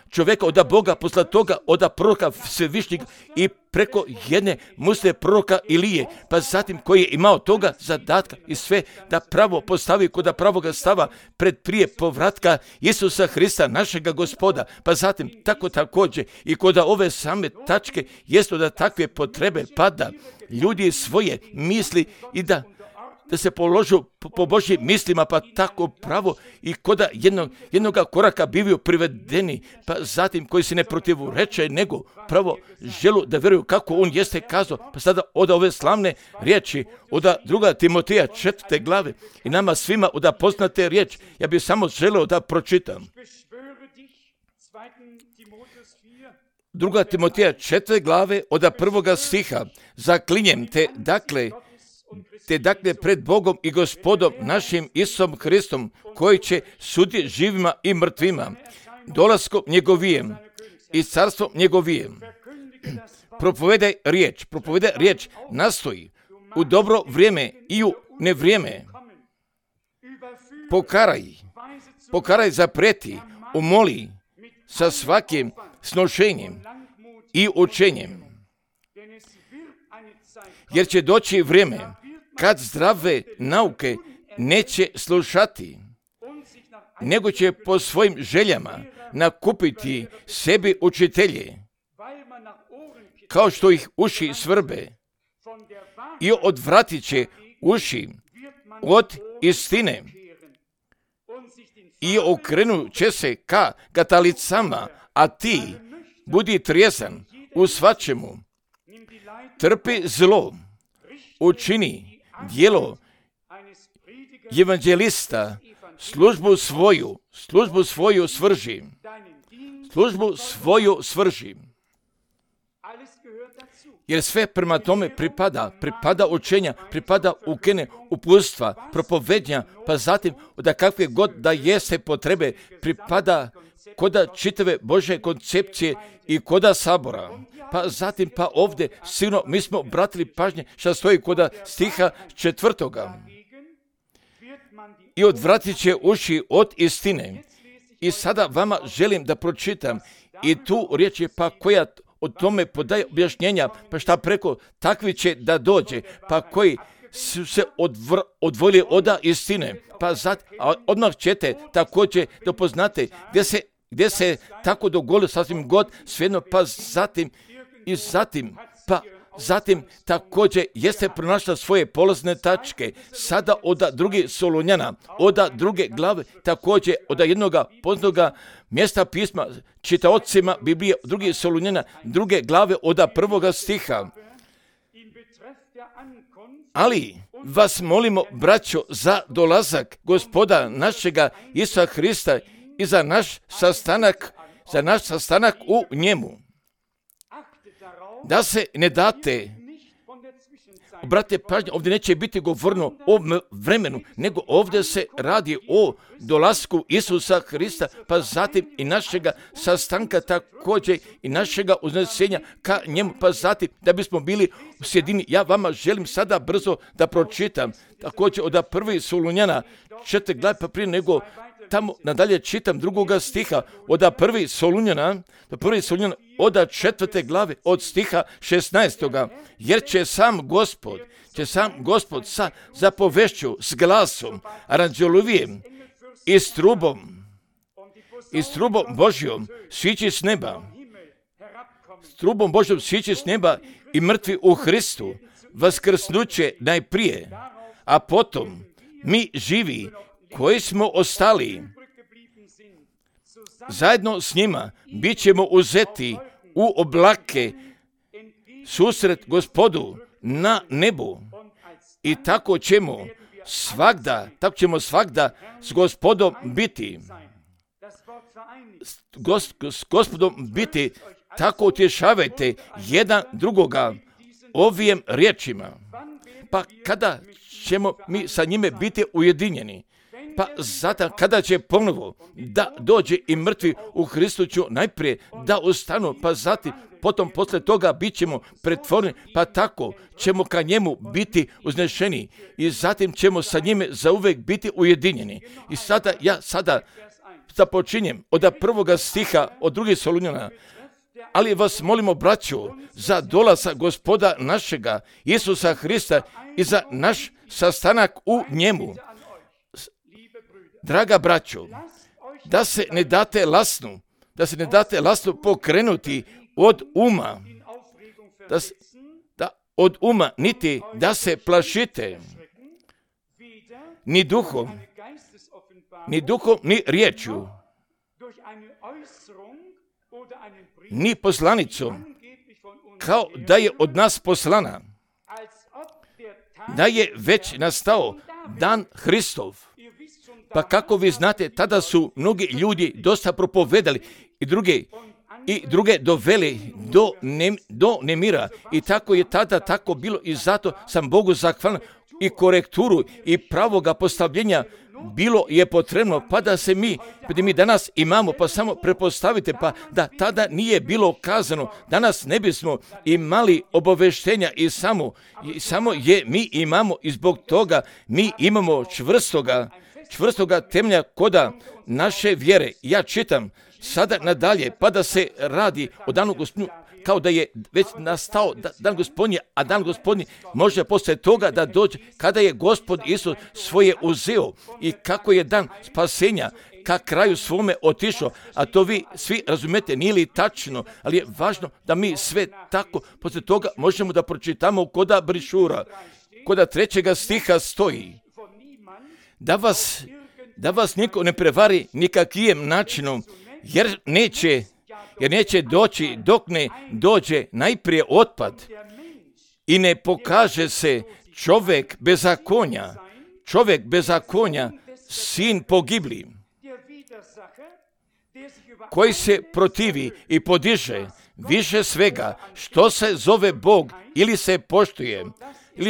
čovjeka, od Boga, posle toga od proroka Svevišnjeg i preko jedne musle proroka Ilije, pa zatim koji je imao toga zadatka i sve da pravo postavi kod pravoga stava pred prije povratka Isusa Hrista, našega Gospoda, pa zatim tako također i kod ove same tačke jesu da takve potrebe pada ljudi svoje misli i da se položu po Božjim mislima, pa tako pravo i koda jednoga koraka bivaju privedeni, pa zatim koji se ne protivreče, nego pravo želu da vjeruju kako on jeste kazao. Pa sada od ove slavne riječi, od 2. Timoteja 4. glave i nama svima od poznate riječ, ja bih samo želeo da pročitam. 2. Timoteja 4. glave od 1. stiha, zaklinjem te, dakle pred Bogom i Gospodom našim Isusom Hristom, koji će suditi živima i mrtvima, dolaskom njegovijem i carstvom njegovijem. Propovedaj riječ, nastoji u dobro vrijeme i u nevrijeme. Pokaraj, zaprijeti, umoli sa svakim snošenjem i učenjem. Jer će doći vrijeme kad zdrave nauke neće slušati, nego će po svojim željama nakupiti sebi učitelje, kao što ih uši svrbe, i odvratit će uši od istine i okrenut će se ka katalicama, a ti budi trijezan u svačemu, trpi zlo, učini djelo evanđelista, službu svoju svrži. Jer sve prema tome pripada učenja, pripada ukene uputstva, propovednja, pa zatim da kakve god da jeste potrebe, pripada koda čitave Božje koncepcije i koda sabora. Pa zatim pa ovdje sigurno mi smo obratili pažnje što stoji koda stiha 4. I odvratit će uši od istine. I sada vama želim da pročitam i tu riječ je pa koja o tome podaje objašnjenja, pa šta preko takvi će da dođe, pa koji su se odvojili od istine, pa odmah ćete također da poznate gdje se tako dogodilo sasvim god svejedno, pa zatim također jeste pronašla svoje polazne tačke, sada od 2. Solunjana, od 2. glave, također od jednoga poznatoga mjesta pisma, čitaocima Biblije, 2. Solunjana, 2. glave od 1. stiha. Ali vas molimo, braćo, za dolazak Gospoda našega Isusa Hrista i za naš sastanak u njemu. Da se ne date, obratite pažnju, ovdje neće biti govorno o vremenu, nego ovdje se radi o dolasku Isusa Hrista, pa zatim i našega sastanka također i našega uznesenja ka njemu, pa zatim da bismo bili u sjedini. Ja vama želim sada brzo da pročitam, također od 1. Solunjana 4. glave, pa prije nego tamo nadalje čitam 2. stiha od 1. Solunjana od 4. glave od stiha 16. Jer će sam Gospod sa zapovešću, s glasom, aranđelovijem i s trubom Božjom sići s neba. S trubom Božjom sići s neba i mrtvi u Hristu vaskrsnuće najprije, a potom mi živi koji smo ostali, zajedno s njima bit ćemo uzeti u oblake susret Gospodu na nebu i tako ćemo svagda s Gospodom biti. S Gospodom biti, tako utješavajte jedan drugoga ovim riječima. Pa kada ćemo mi sa njime biti ujedinjeni? Pa zato kada će ponovo da dođe i mrtvi u Hristu ću najprije da ustanu, pa zatim potom poslije toga bit ćemo pretvoreni, pa tako ćemo ka njemu biti uznešeni i zatim ćemo sa njime zauvek biti ujedinjeni. I ja započinjem od 1. stiha od 2. Solunjana. Ali vas molimo, braćo, za dolazak Gospoda našega Isusa Hrista i za naš sastanak u njemu. Draga braćo, da se ne date lasnu pokrenuti od uma, od uma, niti da se plašite, ni duhom, ni riječju, ni poslanicom, kao da je od nas poslana, da je već nastao dan Hristov. Pa kako vi znate, tada su mnogi ljudi dosta propovedali i druge doveli do nemira. I tako je tada tako bilo i zato sam Bogu zahvalan i korekturu i pravoga postavljenja bilo je potrebno, pa da mi danas imamo, pa samo prepostavite, pa da tada nije bilo kazano, danas ne bismo imali obaveštenja i samo je mi imamo i zbog toga mi imamo čvrstoga temelja koda naše vjere. Ja čitam sada nadalje, pa da se radi o danu Gospodnju, kao da je već nastao dan Gospodnji, a dan Gospodnji može poslije toga da dođe kada je Gospod Isus svoje uzeo i kako je dan spasenja ka kraju svome otišao, a to vi svi razumete, nije li tačno, ali je važno da mi sve tako poslije toga možemo da pročitamo koda brišura, koda 3. stiha stoji, da vas niko ne prevari nikakvijem načinom, jer neće doći dok ne dođe najprije otpad i ne pokaže se čovjek bezakonja, sin pogibli, koji se protivi i podiže više svega što se zove Bog ili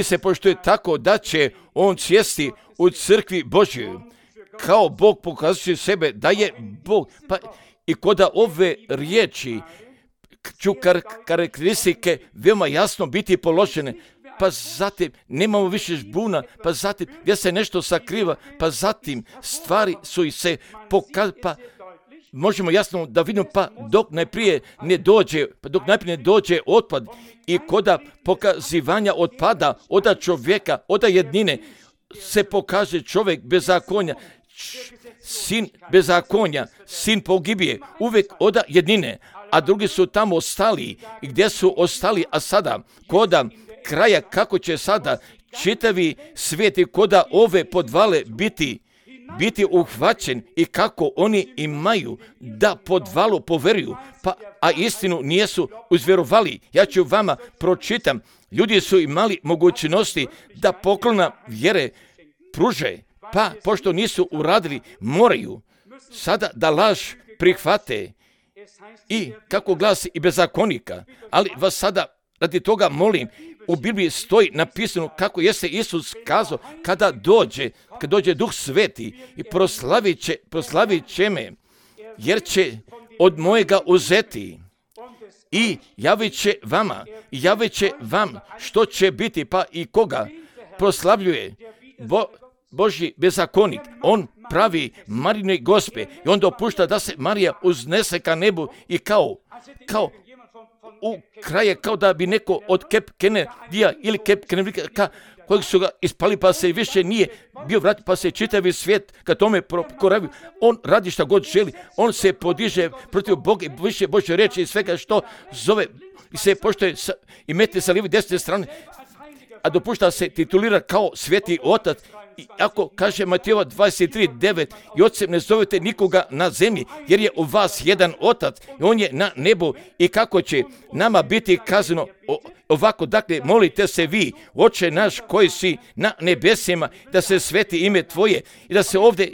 se poštuje tako da će on sjesti u crkvi Božjoj, kao Bog pokazuje sebe da je Bog. Pa i koda ove riječi ću karakteristike veoma jasno biti položene, pa zatim nemamo više žbuna, pa zatim gdje se nešto sakriva, pa zatim stvari su i se pa možemo jasno da vidimo, pa dok najprije ne dođe otpad i koda pokazivanja otpada od čovjeka, od jednine se pokaže čovjek bezakonja, sin bezakonja, sin pogibije, uvijek od jednine, a drugi su tamo ostali. I gdje su ostali, a sada koda kraja, kako će sada čitavi svijet i koda ove podvale biti uhvaćen i kako oni imaju da podvalu poveruju, a istinu nijesu uzvjerovali. Ja ću vama pročitam, ljudi su imali mogućnosti da poklona vjere pruže, pa pošto nisu uradili, moraju sada da laž prihvate i kako glasi i bezakonika. Ali vas sada radi toga molim, u Bibliji stoji napisano kako jeste Isus kazao kada dođe Duh Sveti i proslavit će me, jer će od mojega uzeti i javit će vam što će biti, pa i koga proslavljuje Božji bezakonik. On pravi Marijine gospe i on dopušta da se Marija uznese ka nebu i kao u kraje kao da bi neko od Kep Kenedija ili Kep Kenedika kojeg su ga ispali pa se više nije bio vratio, pa se čitavi svijet ka tome koravio. On radi šta god želi, on se podiže protiv Boga i više Božje reči i svega što zove i se poštuje i mete sa lijeve i desne strane, a dopušta se titulira kao sveti otac. I ako kaže Matejova 23:9 i ocem ne zovete nikoga na zemlji, jer je u vas jedan otac i on je na nebu, i kako će nama biti kazano ovako, dakle molite se vi, Oče naš koji si na nebesima, da se sveti ime tvoje i da se ovdje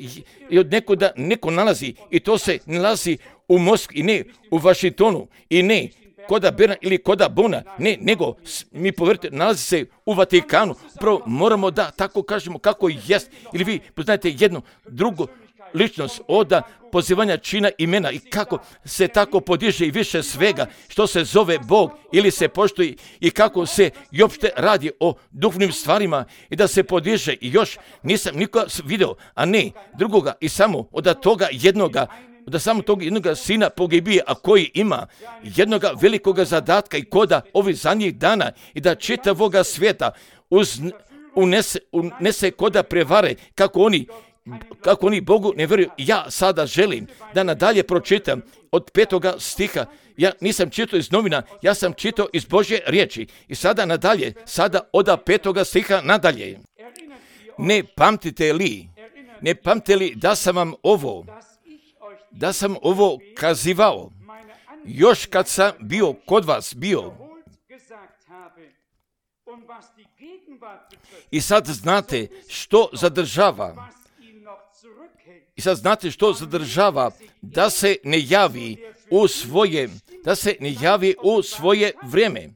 i od neko nalazi, i to se nalazi u Moskvi i ne u Vašingtonu i ne koda Berna ili koda Bona, ne, nego mi povjerite, nalazi se u Vatikanu. Upravo moramo da tako kažemo kako jest. Ili vi poznajete jednu drugu ličnost oda pozivanja čina imena i kako se tako podiže i više svega što se zove Bog ili se poštuje i kako se i opšte radi o duhovnim stvarima i da se podiže i još nisam nikoga video, a ne drugoga i samo od toga jednoga, da samo tog jednoga sina pogibije, a koji ima jednoga velikoga zadatka i koda ovih zadnjih dana i da čitavoga svijeta unese koda prevare kako oni Bogu ne vjeruju. Ja sada želim da nadalje pročitam od 5. stiha. Ja nisam čitao iz novina, ja sam čitao iz Božje riječi. I sada nadalje, sada od 5. stiha nadalje. Ne pamtite li da sam vam ovo kazivao, još kad sam bio kod vas bio. I sad znate što zadržava da se ne javi u svoje vrijeme.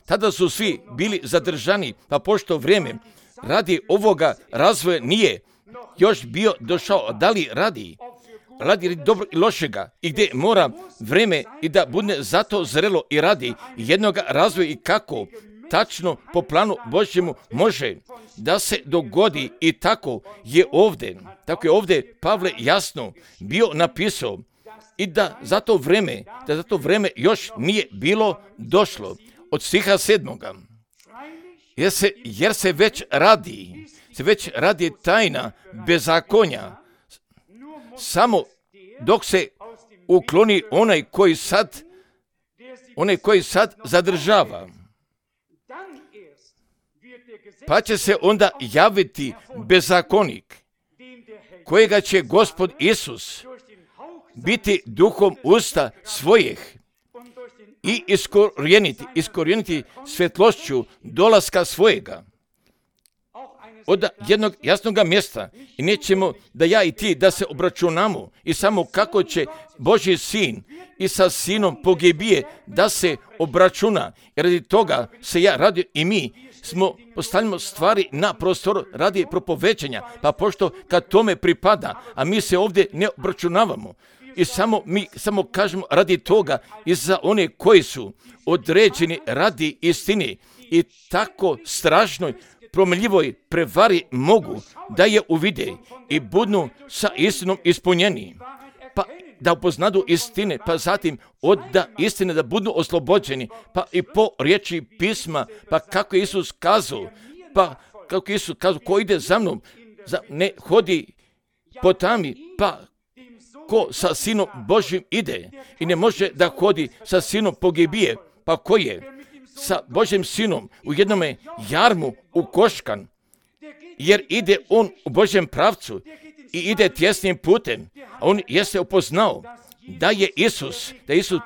Tada su svi bili zadržani, pa pošto vrijeme radi ovoga razvoja nije još bio došao, da li radi dobro i lošega i gdje mora vrijeme i da bude zato zrelo i radi jednoga razvoja i kako tačno po planu Božjemu može da se dogodi i tako je ovdje Pavle jasno bio napisao i da za to vrijeme još nije bilo došlo. Od stiha 7. Jer se već radi tajna bezakonja, samo dok se ukloni onaj koji sad zadržava. Pa će se onda javiti bezakonik, kojega će Gospod Isus biti duhom usta svojih i iskorijeniti svjetlošću dolaska svojega. Od jednog jasnog mjesta i nećemo da ja i ti da se obračunamo i samo kako će Božji sin i sa sinom pogibije da se obračuna. I radi toga se ja radio i mi postavljamo stvari na prostoru radi propovećanja, pa pošto kad tome pripada, a mi se ovdje ne obračunavamo i mi samo kažemo radi toga i za one koji su određeni radi istine i tako strašnoj promenljivoj prevari mogu da je uvide i budu sa istinom ispunjeni, pa da upoznadu istine, pa zatim od istine da budu oslobođeni, pa i po riječi pisma, pa kako je Isus kazao, ko ide za mnom, ne hodi po tami, pa ko sa sinom Božjim ide i ne može da hodi sa sinom pogibije, pa ko je sa Božjim sinom u jednome jarmu ukoškan, jer ide on u Božjem pravcu i ide tjesnim putem, a on jeste upoznao da je Isus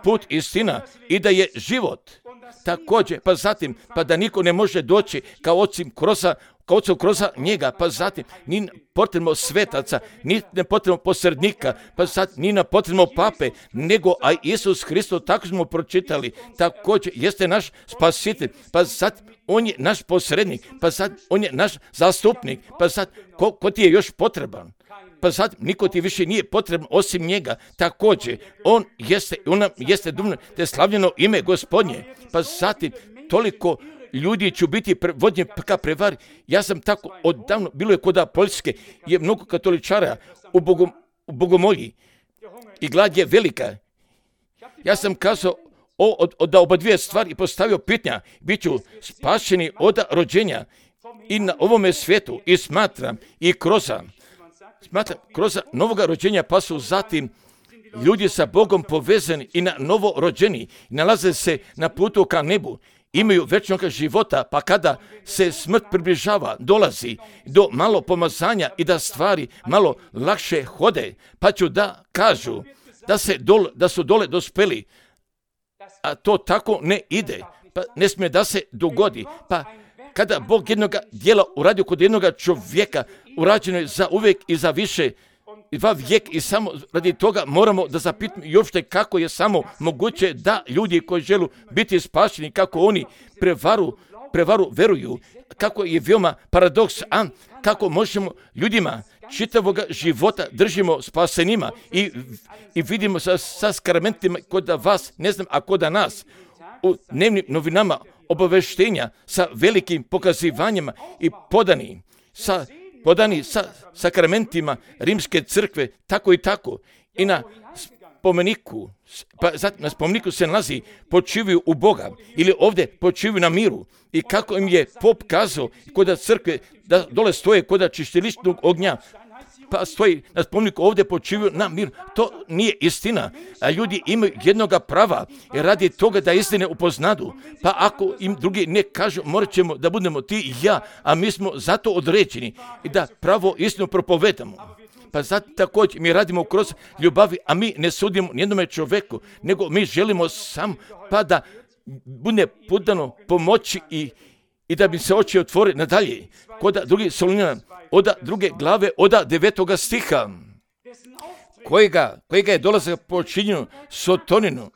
put, istina i da je život. Također, pa zatim, pa da niko ne može doći kao ocu kroz njega, pa zatim, ni potrebno svetaca, ni ne potrebno posrednika, pa zatim, ni na potrebno pape, nego a Isus Hristos, tako smo pročitali, također jeste naš spasitelj, pa zatim, on je naš posrednik, pa zatim, on je naš zastupnik, pa zatim, ko ti je još potreban? Pa zatim, niko ti više nije potrebno osim njega, također, on jeste dumno te slavljeno ime Gospodnje, pa zatim, toliko ljudi će biti vodnje ka prevari. Ja sam tako odavno, bilo je kod Poljske, je mnogo katoličara u Bogomolji i glad je velika. Ja sam kazao da oba dvije stvari i postavio pitanja, bit ću spašeni od rođenja i na ovome svijetu i smatram kroz novoga rođenja, pa su zatim ljudi sa Bogom povezani i na novo rođeni, nalaze se na putu ka nebu, imaju večnog života, pa kada se smrt približava, dolazi do malo pomazanja i da stvari malo lakše hode, pa ću da kažu da su dole dospeli, a to tako ne ide, pa ne smije da se dogodi, pa kada Bog jednoga djela uradio kod jednoga čovjeka, urađeno je za uvijek i za više, 2 vijek i samo radi toga moramo da zapitamo i uopšte kako je samo moguće da ljudi koji žele biti spašeni, kako oni prevaru veruju, kako je veoma paradoks, kako možemo ljudima čitavog života držimo spasenima i vidimo sa skramentima kod vas, ne znam, a kod nas, u dnevnim novinama obaveštenja sa velikim pokazivanjima i podani sa sakramentima Rimske crkve, tako i tako. I na spomeniku, na spomeniku se nalazi počivaju u Boga ili ovdje počivaju na miru. I kako im je pop kazao kod crkve da dole stoje kod čišćiličnog ognja, pa stoji na spomeniku ovdje počivaju na mir. To nije istina. A ljudi imaju jednoga prava radi toga da istine upoznadu. Pa ako im drugi ne kažu, morat ćemo da budemo ti i ja, a mi smo zato određeni i da pravo istinu propovedamo. Pa zato također mi radimo kroz ljubavi, a mi ne sudimo nijednome čovjeku, nego mi želimo sam pa da bude podano pomoći i da bi se oči otvore nadalje. Kod drugi Solunjana, od 2. glave, od 9. stiha, kojega je dolazak počinjeno Sotoninu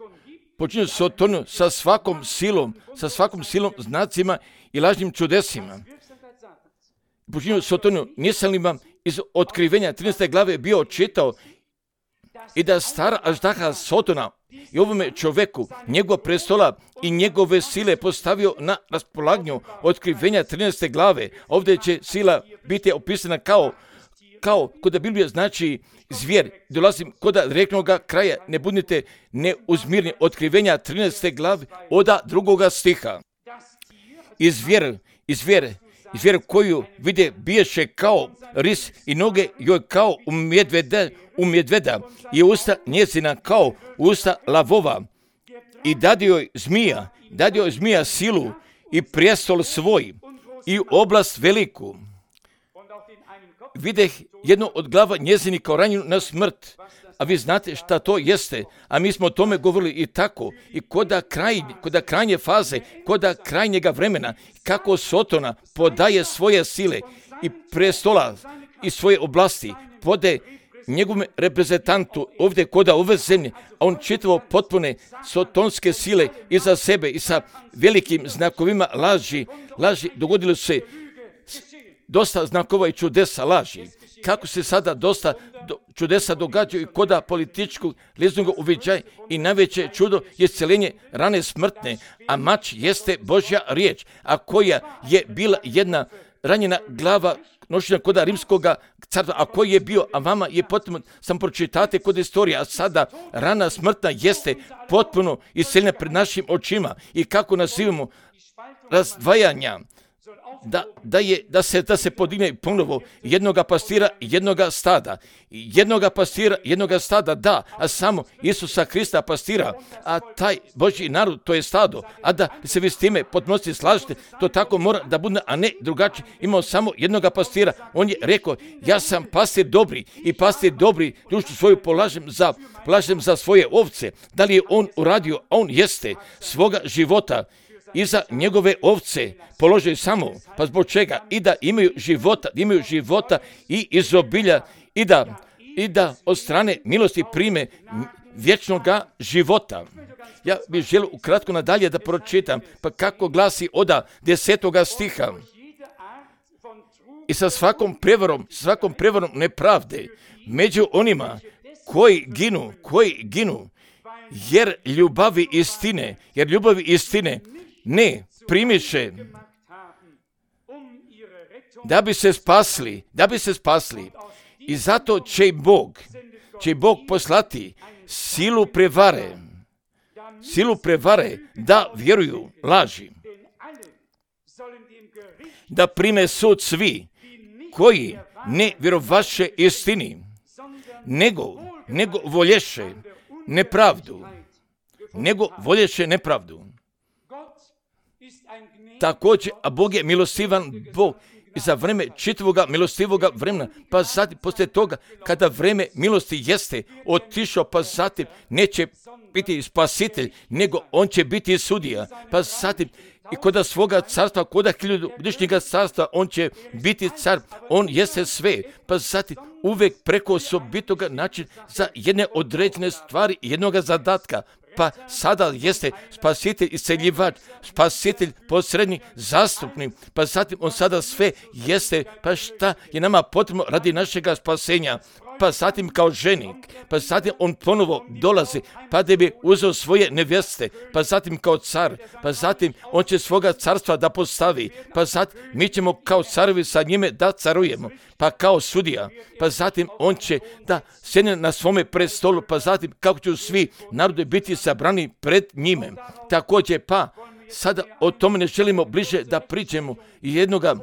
sa svakom silom, znacima i lažnim čudesima. Počinjeno Sotoninu, nisam li vam iz otkrivenja 13. glave bio čitao i da stara aždaha Sotona i ovome čoveku njegov prestola i njegove sile postavio na raspolaganju otkrivenja 13. glave. Ovdje će sila biti opisana kao kod Biblije znači zvijer. Dolazim kod reknoga kraja, ne budite neuzmirni, otkrivenja 13. glave od 2. stiha. I zvijer koju vide biješe kao ris i noge joj kao u medveda i usta njezina kao usta lavova. I dadio joj zmija silu i prijestol svoj i oblast veliku. Videh jednu od glava njezini kao ranjenu na smrt. A vi znate šta to jeste, a mi smo o tome govorili i tako. I koda krajnje faze, koda krajnjega vremena, kako Sotona podaje svoje sile i prestola i svoje oblasti, pode njegovom reprezentantu ovdje koda ove zemlje, a on čitavo potpune sotonske sile iza sebe i sa velikim znakovima laži dogodilo se dosta znakova i čudesa laži. Kako se sada dosta čudesa događaju i koda političkog liznog uviđaja i najveće čudo je isceljenje rane smrtne, a mač jeste Božja riječ, a koja je bila jedna ranjena glava nošenja koda rimskoga carstva, a koji je bio, a vama je potpuno, sam pročitate kod istorije, a sada rana smrtna jeste potpuno isceljena pred našim očima i kako nazivamo razdvajanja, da se podigne ponovo jednoga pastira i jednoga stada, da, a samo Isusa Krista pastira, a taj Božji narod, to je stado, a da se vi s time potpunosti slažete, to tako mora da bude, a ne drugačije. Imao samo jednoga pastira, on je rekao, ja sam pastir dobri i pastir dobri dušu svoju polažem za svoje ovce. Da li je on uradio? On jeste svoga života i za njegove ovce položaju samo, pa zbog čega? I da imaju života i izobilja i da od strane milosti prime vječnoga života. Ja bih želio ukratko nadalje da pročitam, pa kako glasi od 10. stiha. I sa svakom prevarom nepravde među onima koji ginu, jer ljubavi istine ne primiše da bi se spasli. I zato će Bog poslati silu prevare da vjeruju laži, da prime sud svi koji ne vjerovaše istini, nego volješe nepravdu. Također, a Bog je milostivan Bog i za vreme čitavoga milostivoga vremena, pa zatim poslije toga kada vreme milosti jeste otišao, pa zatim neće biti spasitelj, nego on će biti sudija, pa zatim i kod svoga carstva, kod 1000-godišnjega carstva, on će biti car, on jeste sve, pa zatim uvek preko osobitoga način za jedne određene stvari, jednog zadatka, pa sada jeste spasitelj, isceljivač, spasitelj, posrednik, zastupnik, pa zatim on sada sve jeste, pa šta je nama potrebno radi našega spasenja, pa zatim kao ženik, pa zatim on ponovo dolazi, pa da bi uzeo svoje nevjeste, pa zatim kao car, pa zatim on će svoga carstva da postavi, pa zatim mi ćemo kao carovi sa njime da carujemo, pa kao sudija, pa zatim on će da sjedne na svome prestolu, pa zatim kako će svi narodi biti sabrani pred njime. Također pa sada o tome ne želimo bliže da priđemo i jednoga,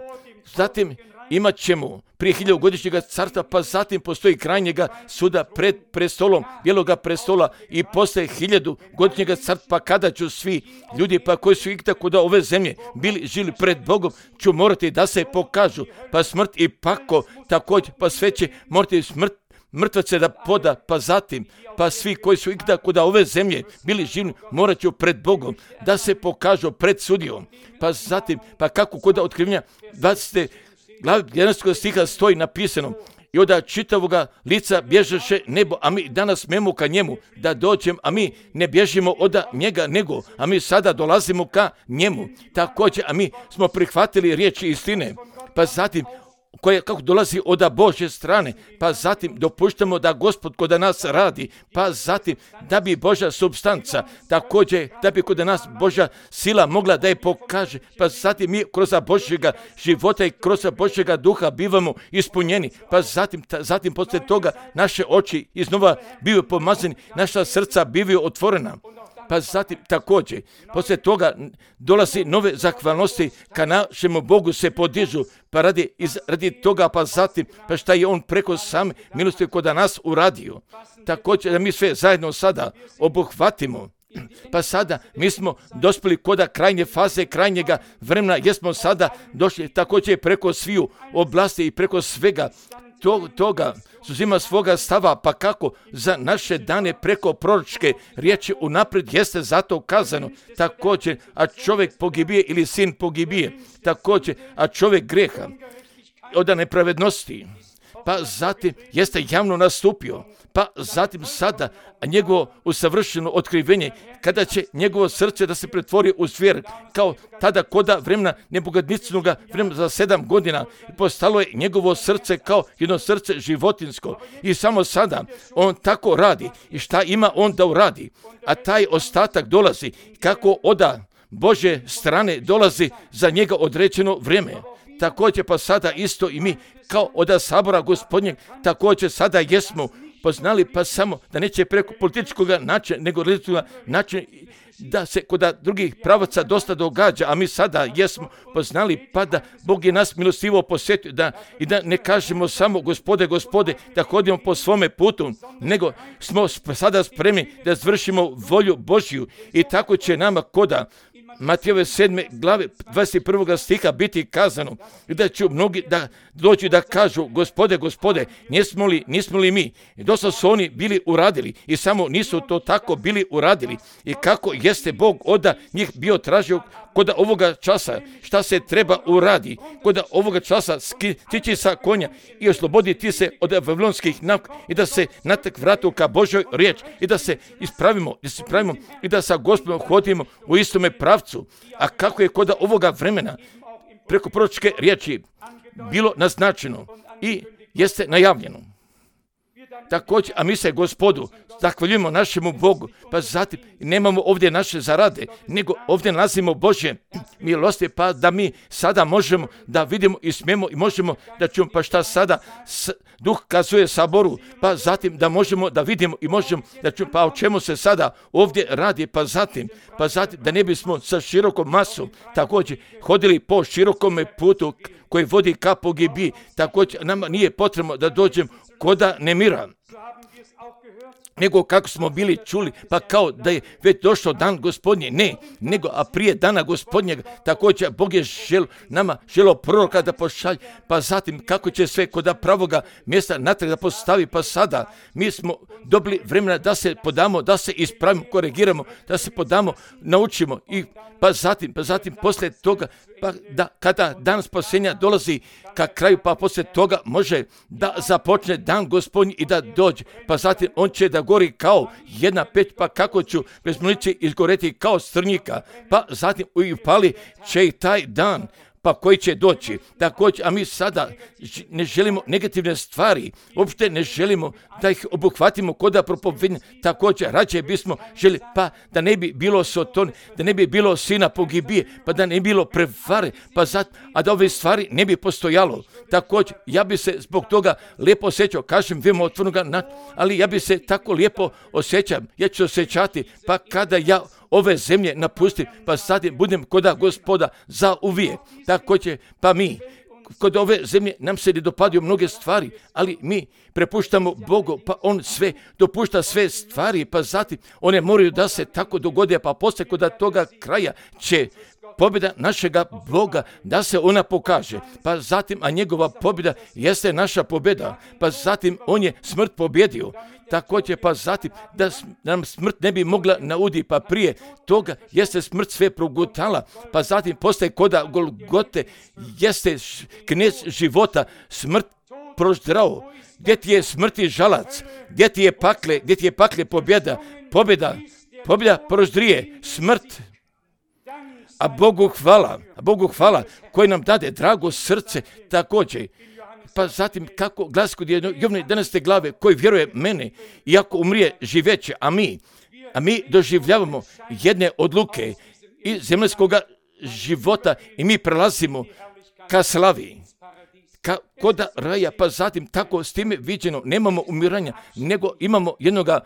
zatim imat ćemo prije 1000-godišnjega carstva, pa zatim postoji krajnjega suda pred prestolom, bijeloga prestola i posle 1000-godišnjega carstva, pa kada ću svi ljudi pa koji su ikada kod ove zemlje bili žili pred Bogom, ću morati da se pokažu, pa smrt i pako također, pa sve će morati mrtvace da poda, pa zatim, pa svi koji su ikada kod ove zemlje bili živi, morat ću pred Bogom da se pokažu pred sudijom, pa zatim, pa kako kod otkrivenja 20. glavi 11. stiha stoji napisano: i od čitavoga lica bježeše nebo, a mi danas smemo ka njemu da dođem, a mi ne bježimo od njega nego, a mi sada dolazimo ka njemu. Također, a mi smo prihvatili riječi istine, pa zatim koja kako dolazi od Božje strane, pa zatim dopuštamo da Gospod kod nas radi, pa zatim da bi Božja supstanca, također da bi kod nas Božja sila mogla da je pokaže, pa zatim mi kroz Božjega života i kroz Božjega duha bivamo ispunjeni, pa zatim poslije toga naše oči iznova bivaju pomazani, naša srca bivaju otvorena. Pa zatim također, poslije toga dolazi nove zahvalnosti ka našemu Bogu se podižu, pa radi toga, pa zatim, pa šta je on preko same milosti kod nas uradio. Također da mi sve zajedno sada obuhvatimo. Pa sada mi smo dospjeli kod krajnje faze, krajnjega vremena, jer smo sada došli također preko sviju oblasti i preko svega toga uzima svoga stava, pa kako za naše dane preko proročke riječi unaprijed jeste zato kazano, također, a čovjek pogibije ili sin pogibije, također, a čovjek greha od nepravednosti, pa zatim jeste javno nastupio, pa zatim sada njegovo usavršeno otkrivenje, kada će njegovo srce da se pretvori u zvijer, kao tada koda vremena nebogadnicinoga vremena za 7 godina, postalo je njegovo srce kao jedno srce životinsko. I samo sada on tako radi. I šta ima on da uradi? A taj ostatak dolazi kako od Božje strane dolazi za njega određeno vrijeme. Također pa sada isto i mi kao od sabora Gospodnjeg također sada jesmo poznali, pa samo da neće preko političkog načina, nego religijskog načina da se kod drugih pravaca dosta događa, a mi sada jesmo poznali, pa da Bog je nas milostivo posjetio, i da ne kažemo samo Gospode, Gospode, da hodimo po svome putu, nego smo sada spremni da zvršimo volju Božju i tako će nama koda Matejove 7. glave 21. stiha biti kazano da će mnogi da dođu da kažu Gospode, Gospode, nismo li mi? I dosta su oni bili uradili i samo nisu to tako bili uradili. I kako jeste Bog od njih bio tražio kod ovoga časa šta se treba uradi, kod ovoga časa stići sa konja i osloboditi se od vavilonskih navika i da se natak vratu ka Božoj riječ i da se ispravimo i da sa Gospodom hodimo u istome pravcu. A kako je kod ovoga vremena preko proročke riječi bilo naznačeno i jeste najavljeno. Također, a mi se Gospodu zahvaljujemo našemu Bogu, pa zatim nemamo ovdje naše zarade, nego ovdje nalazimo Božje milosti, pa da mi sada možemo da vidimo i smijemo i možemo da čujemo, pa šta sada Duh kazuje saboru, pa zatim da možemo da vidimo i možemo da čujemo, pa o čemu se sada ovdje radi, pa zatim da ne bismo sa širokom masom također hodili po širokome putu koji vodi ka pogibiji, također nama nije potrebno da dođem koda nemira. nego kako smo bili čuli, pa kao da je već došao dan Gospodnji. Ne, nego a prije dana Gospodnjega također Bog je želio proroka da pošalje, pa zatim kako će sve kod pravoga mjesta natrag da postavi, pa sada mi smo dobili vremena da se podamo, da se ispravimo, korigiramo, da se podamo, naučimo i pa zatim poslije toga, pa da kada dan spasenja dolazi ka kraju, pa poslije toga može da započne dan Gospodnji i da dođe, pa zatim on će da gori kao jedna peć, pa kako ću bez municije izgoreti kao strnjika, pa zatim upali će i taj dan, pa koji će doći. Također, a mi sada ne želimo negativne stvari, uopšte ne želimo da ih obuhvatimo kod propovednja. Također, rađe bismo želi, pa da ne bi bilo sotoni, da ne bi bilo sina pogibije, pa da ne bi bilo prevare, a da ove stvari ne bi postojalo. Također, ja bi se zbog toga lijepo osjećao, kažem vimo otvornoga, ali ja bi se tako lijepo osjećao, ja ću osjećati, pa kada ja ove zemlje napustim, pa zatim budem koda Gospoda za uvijek. Također, pa mi, kod ove zemlje nam se ne dopadaju mnoge stvari, ali mi prepuštamo Bogu, pa on sve dopušta sve stvari, pa zatim one moraju da se tako dogode, pa poslije kod toga kraja će pobjeda našega Boga da se ona pokaže, pa zatim, a njegova pobjeda jeste naša pobjeda, pa zatim on je smrt pobjedio. Također, pa zatim, da nam smrt ne bi mogla naudi, pa prije toga jeste smrt sve progutala, pa zatim postaje koda Golgote, jeste knez života, smrt proždrao. Gdje ti je smrti žalac, gdje ti je pakle pobjeda proždrije, smrt. A Bogu hvala koji nam dade drago srce također. Pa zatim kako glas kod Jovne 11. glave koji vjeruje mene, iako umrije živeće, a mi doživljavamo jedne odluke iz zemaljskoga života i mi prelazimo ka slavi, koda raja, pa zatim tako s time viđeno nemamo umiranja, nego imamo jednoga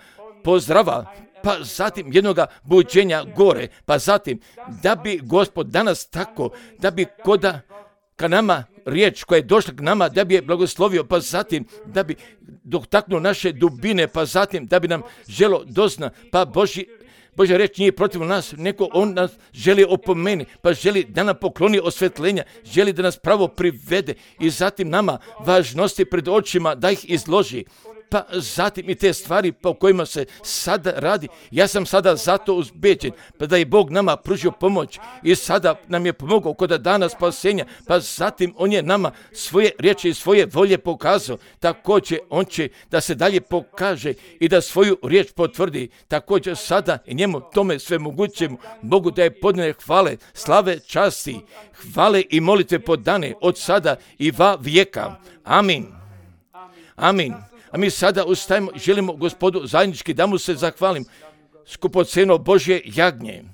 pozdrava, pa zatim jednoga buđenja gore, pa zatim da bi Gospod danas tako, da bi koda ka nama riječ koja je došla k nama, da bi je blagoslovio, pa zatim da bi dotaknuo naše dubine, pa zatim da bi nam želo dozna, pa Božja riječ nije protiv nas, nego on nas želi opomeni, pa želi da nam pokloni osvetljenja, želi da nas pravo privede i zatim nama važnosti pred očima da ih izloži. Pa zatim i te stvari po kojima se sada radi, ja sam sada zato uzbeđen, pa da je Bog nama pružio pomoć i sada nam je pomogao kod dana spasenja, pa zatim on je nama svoje riječi i svoje volje pokazao, također on će da se dalje pokaže i da svoju riječ potvrdi, također sada i njemu tome sve mogućemu Bogu da je podane hvale, slave, časti, hvale i molitve podane od sada i va vijeka. Amin. Amin. A mi sada ustajemo i želimo Gospodu zajednički da mu se zahvalim, skupoceno Božje jagnje.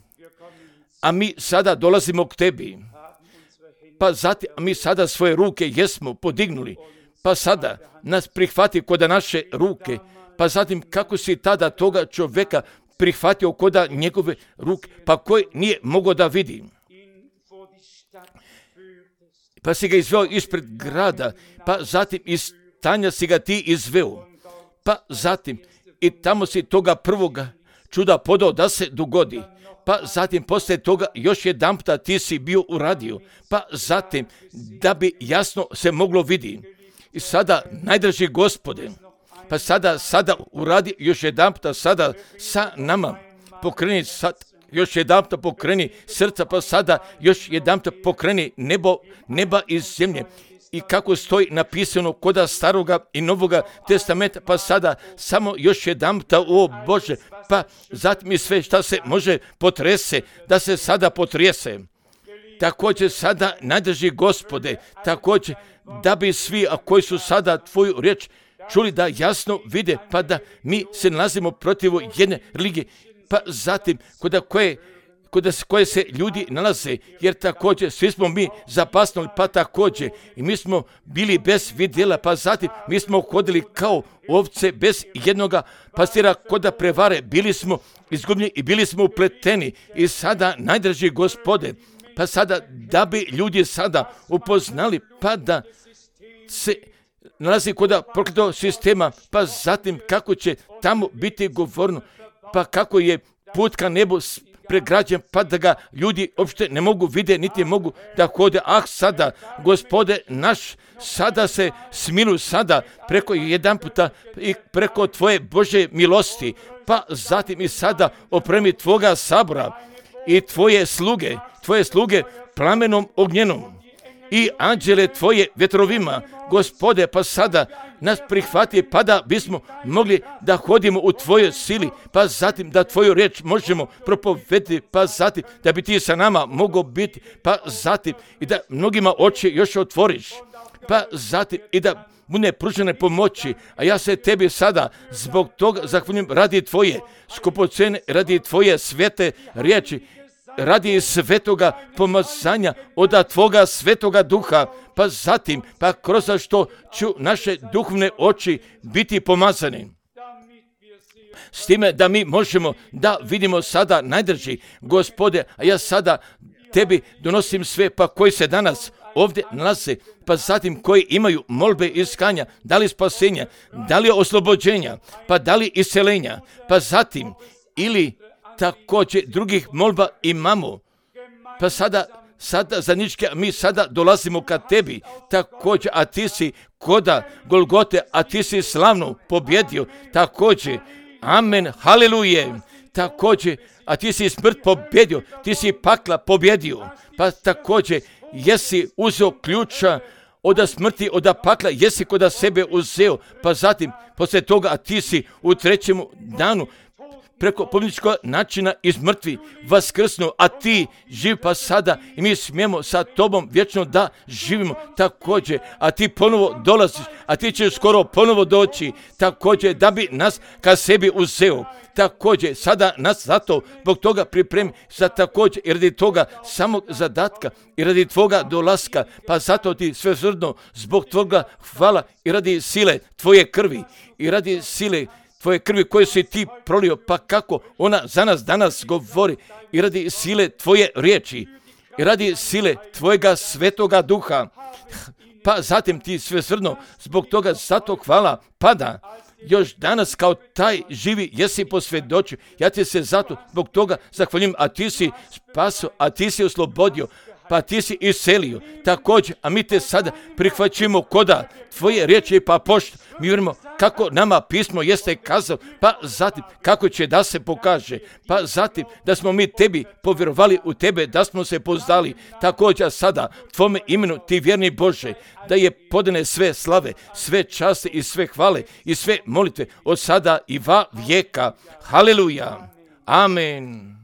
A mi sada dolazimo k tebi. Pa zatim, a mi sada svoje ruke jesmo podignuli. Pa sada nas prihvati koda naše ruke. Pa zatim kako si tada toga čovjeka prihvatio koda njegove ruke, pa koji nije mogao da vidi. Pa si ga izveo ispred grada, pa zatim iz stanja si ga ti izveo, pa zatim i tamo si toga prvoga čuda podao da se dogodi, pa zatim poslije toga još jedanputa ti si bio uradio, pa zatim da bi jasno se moglo vidi. I sada, najdraži Gospode, pa sada uradi još jedanputa sada sa nama, pokreni sad, još jedanputa pokreni srca, pa sada još jedanputa pokreni neba iz zemlje. I kako stoji napisano koda staroga i novoga testamenta, pa sada samo još jedanputa, o Bože, pa zatim i sve šta se može potrese, da se sada potrese. Također sada, najdrži Gospode, također da bi svi, a koji su sada tvoju riječ čuli, da jasno vide, pa da mi se nalazimo protiv jedne religije, pa zatim koje se ljudi nalaze, jer također svi smo mi zapasnuli, pa također i mi smo bili bez vidjela, pa zatim mi smo hodili kao ovce bez jednoga pastira koda prevare, bili smo izgubljeni i bili smo upleteni. I sada, najdraži Gospode, pa sada da bi ljudi sada upoznali, pa da se nalazi kod prokletog sistema, pa zatim kako će tamo biti govorno, pa kako je put ka nebu pregrađen, pa da ga ljudi uopšte ne mogu vidjeti, niti mogu da hode. Sada, Gospode naš, sada se smiluj sada preko jedan puta i preko Tvoje Božje milosti, pa zatim i sada opremi Tvoga sabora i Tvoje sluge plamenom ognjenom i anđele Tvoje vjetrovima, Gospode, pa sada nas prihvati, pa da bismo mogli da hodimo u Tvojoj sili, pa zatim da Tvoju riječ možemo propovedati, pa zatim da bi Ti sa nama mogao biti, pa zatim i da mnogima oči još otvoriš, pa zatim i da bude pružene pomoći, a ja se Tebi sada zbog toga zahvaljujem radi Tvoje skupocene, radi Tvoje svete riječi, radi svetoga pomazanja od Tvoga svetoga duha, pa zatim, pa kroz što ću naše duhovne oči biti pomazani. S time da mi možemo da vidimo sada najdrži, Gospode, a ja sada Tebi donosim sve, pa koji se danas ovdje nalaze, pa zatim koji imaju molbe iskanja, da li spasenja, da li oslobođenja, pa da li iscelenja, pa zatim ili također drugih molba imamo, pa sada zajednički mi sada dolazimo ka Tebi, također, a Ti si koda Golgote, a Ti si slavno pobjedio, također, amen, haliluje, također, a Ti si smrt pobjedio, Ti si pakla pobjedio, pa također, jesi uzeo ključa od smrti, od pakla, jesi kod sebe uzeo, pa zatim, poslije toga, a Ti si u trećemu danu preko pobjedničkog načina iz mrtvi vaskrsnuo, a Ti živ, pa sada i mi smijemo sa Tobom vječno da živimo također, a Ti ponovo dolaziš, a Ti ćeš skoro ponovo doći, također da bi nas ka sebi uzeo, također sada nas zato zbog toga pripremi za također i radi toga samog zadatka i radi Tvoga dolaska, pa zato Ti svesrdno zbog Tvoga hvala i radi sile Tvoje krvi i radi sile Tvoje krvi koje si Ti prolio, pa kako ona za nas danas govori i radi sile Tvoje riječi i radi sile Tvojega svetoga duha, pa zatim Ti svesrdno zbog toga zato hvala pada još danas kao taj živi jesi posvjedočio. Ja Ti se zato zbog toga zahvaljujem, a Ti si spasio, a Ti si oslobodio, pa Ti si iscelio također, a mi Te sada prihvaćimo koda Tvoje riječi, pa pošto mi vjerujemo kako nama pismo jeste kazao, pa zatim kako će da se pokaže, pa zatim da smo mi Tebi povjerovali u Tebe, da smo se poznali, također sada Tvome imenu Ti vjerni Bože, da je podane sve slave, sve časti i sve hvale i sve molitve od sada i va vijeka. Haleluja. Amen.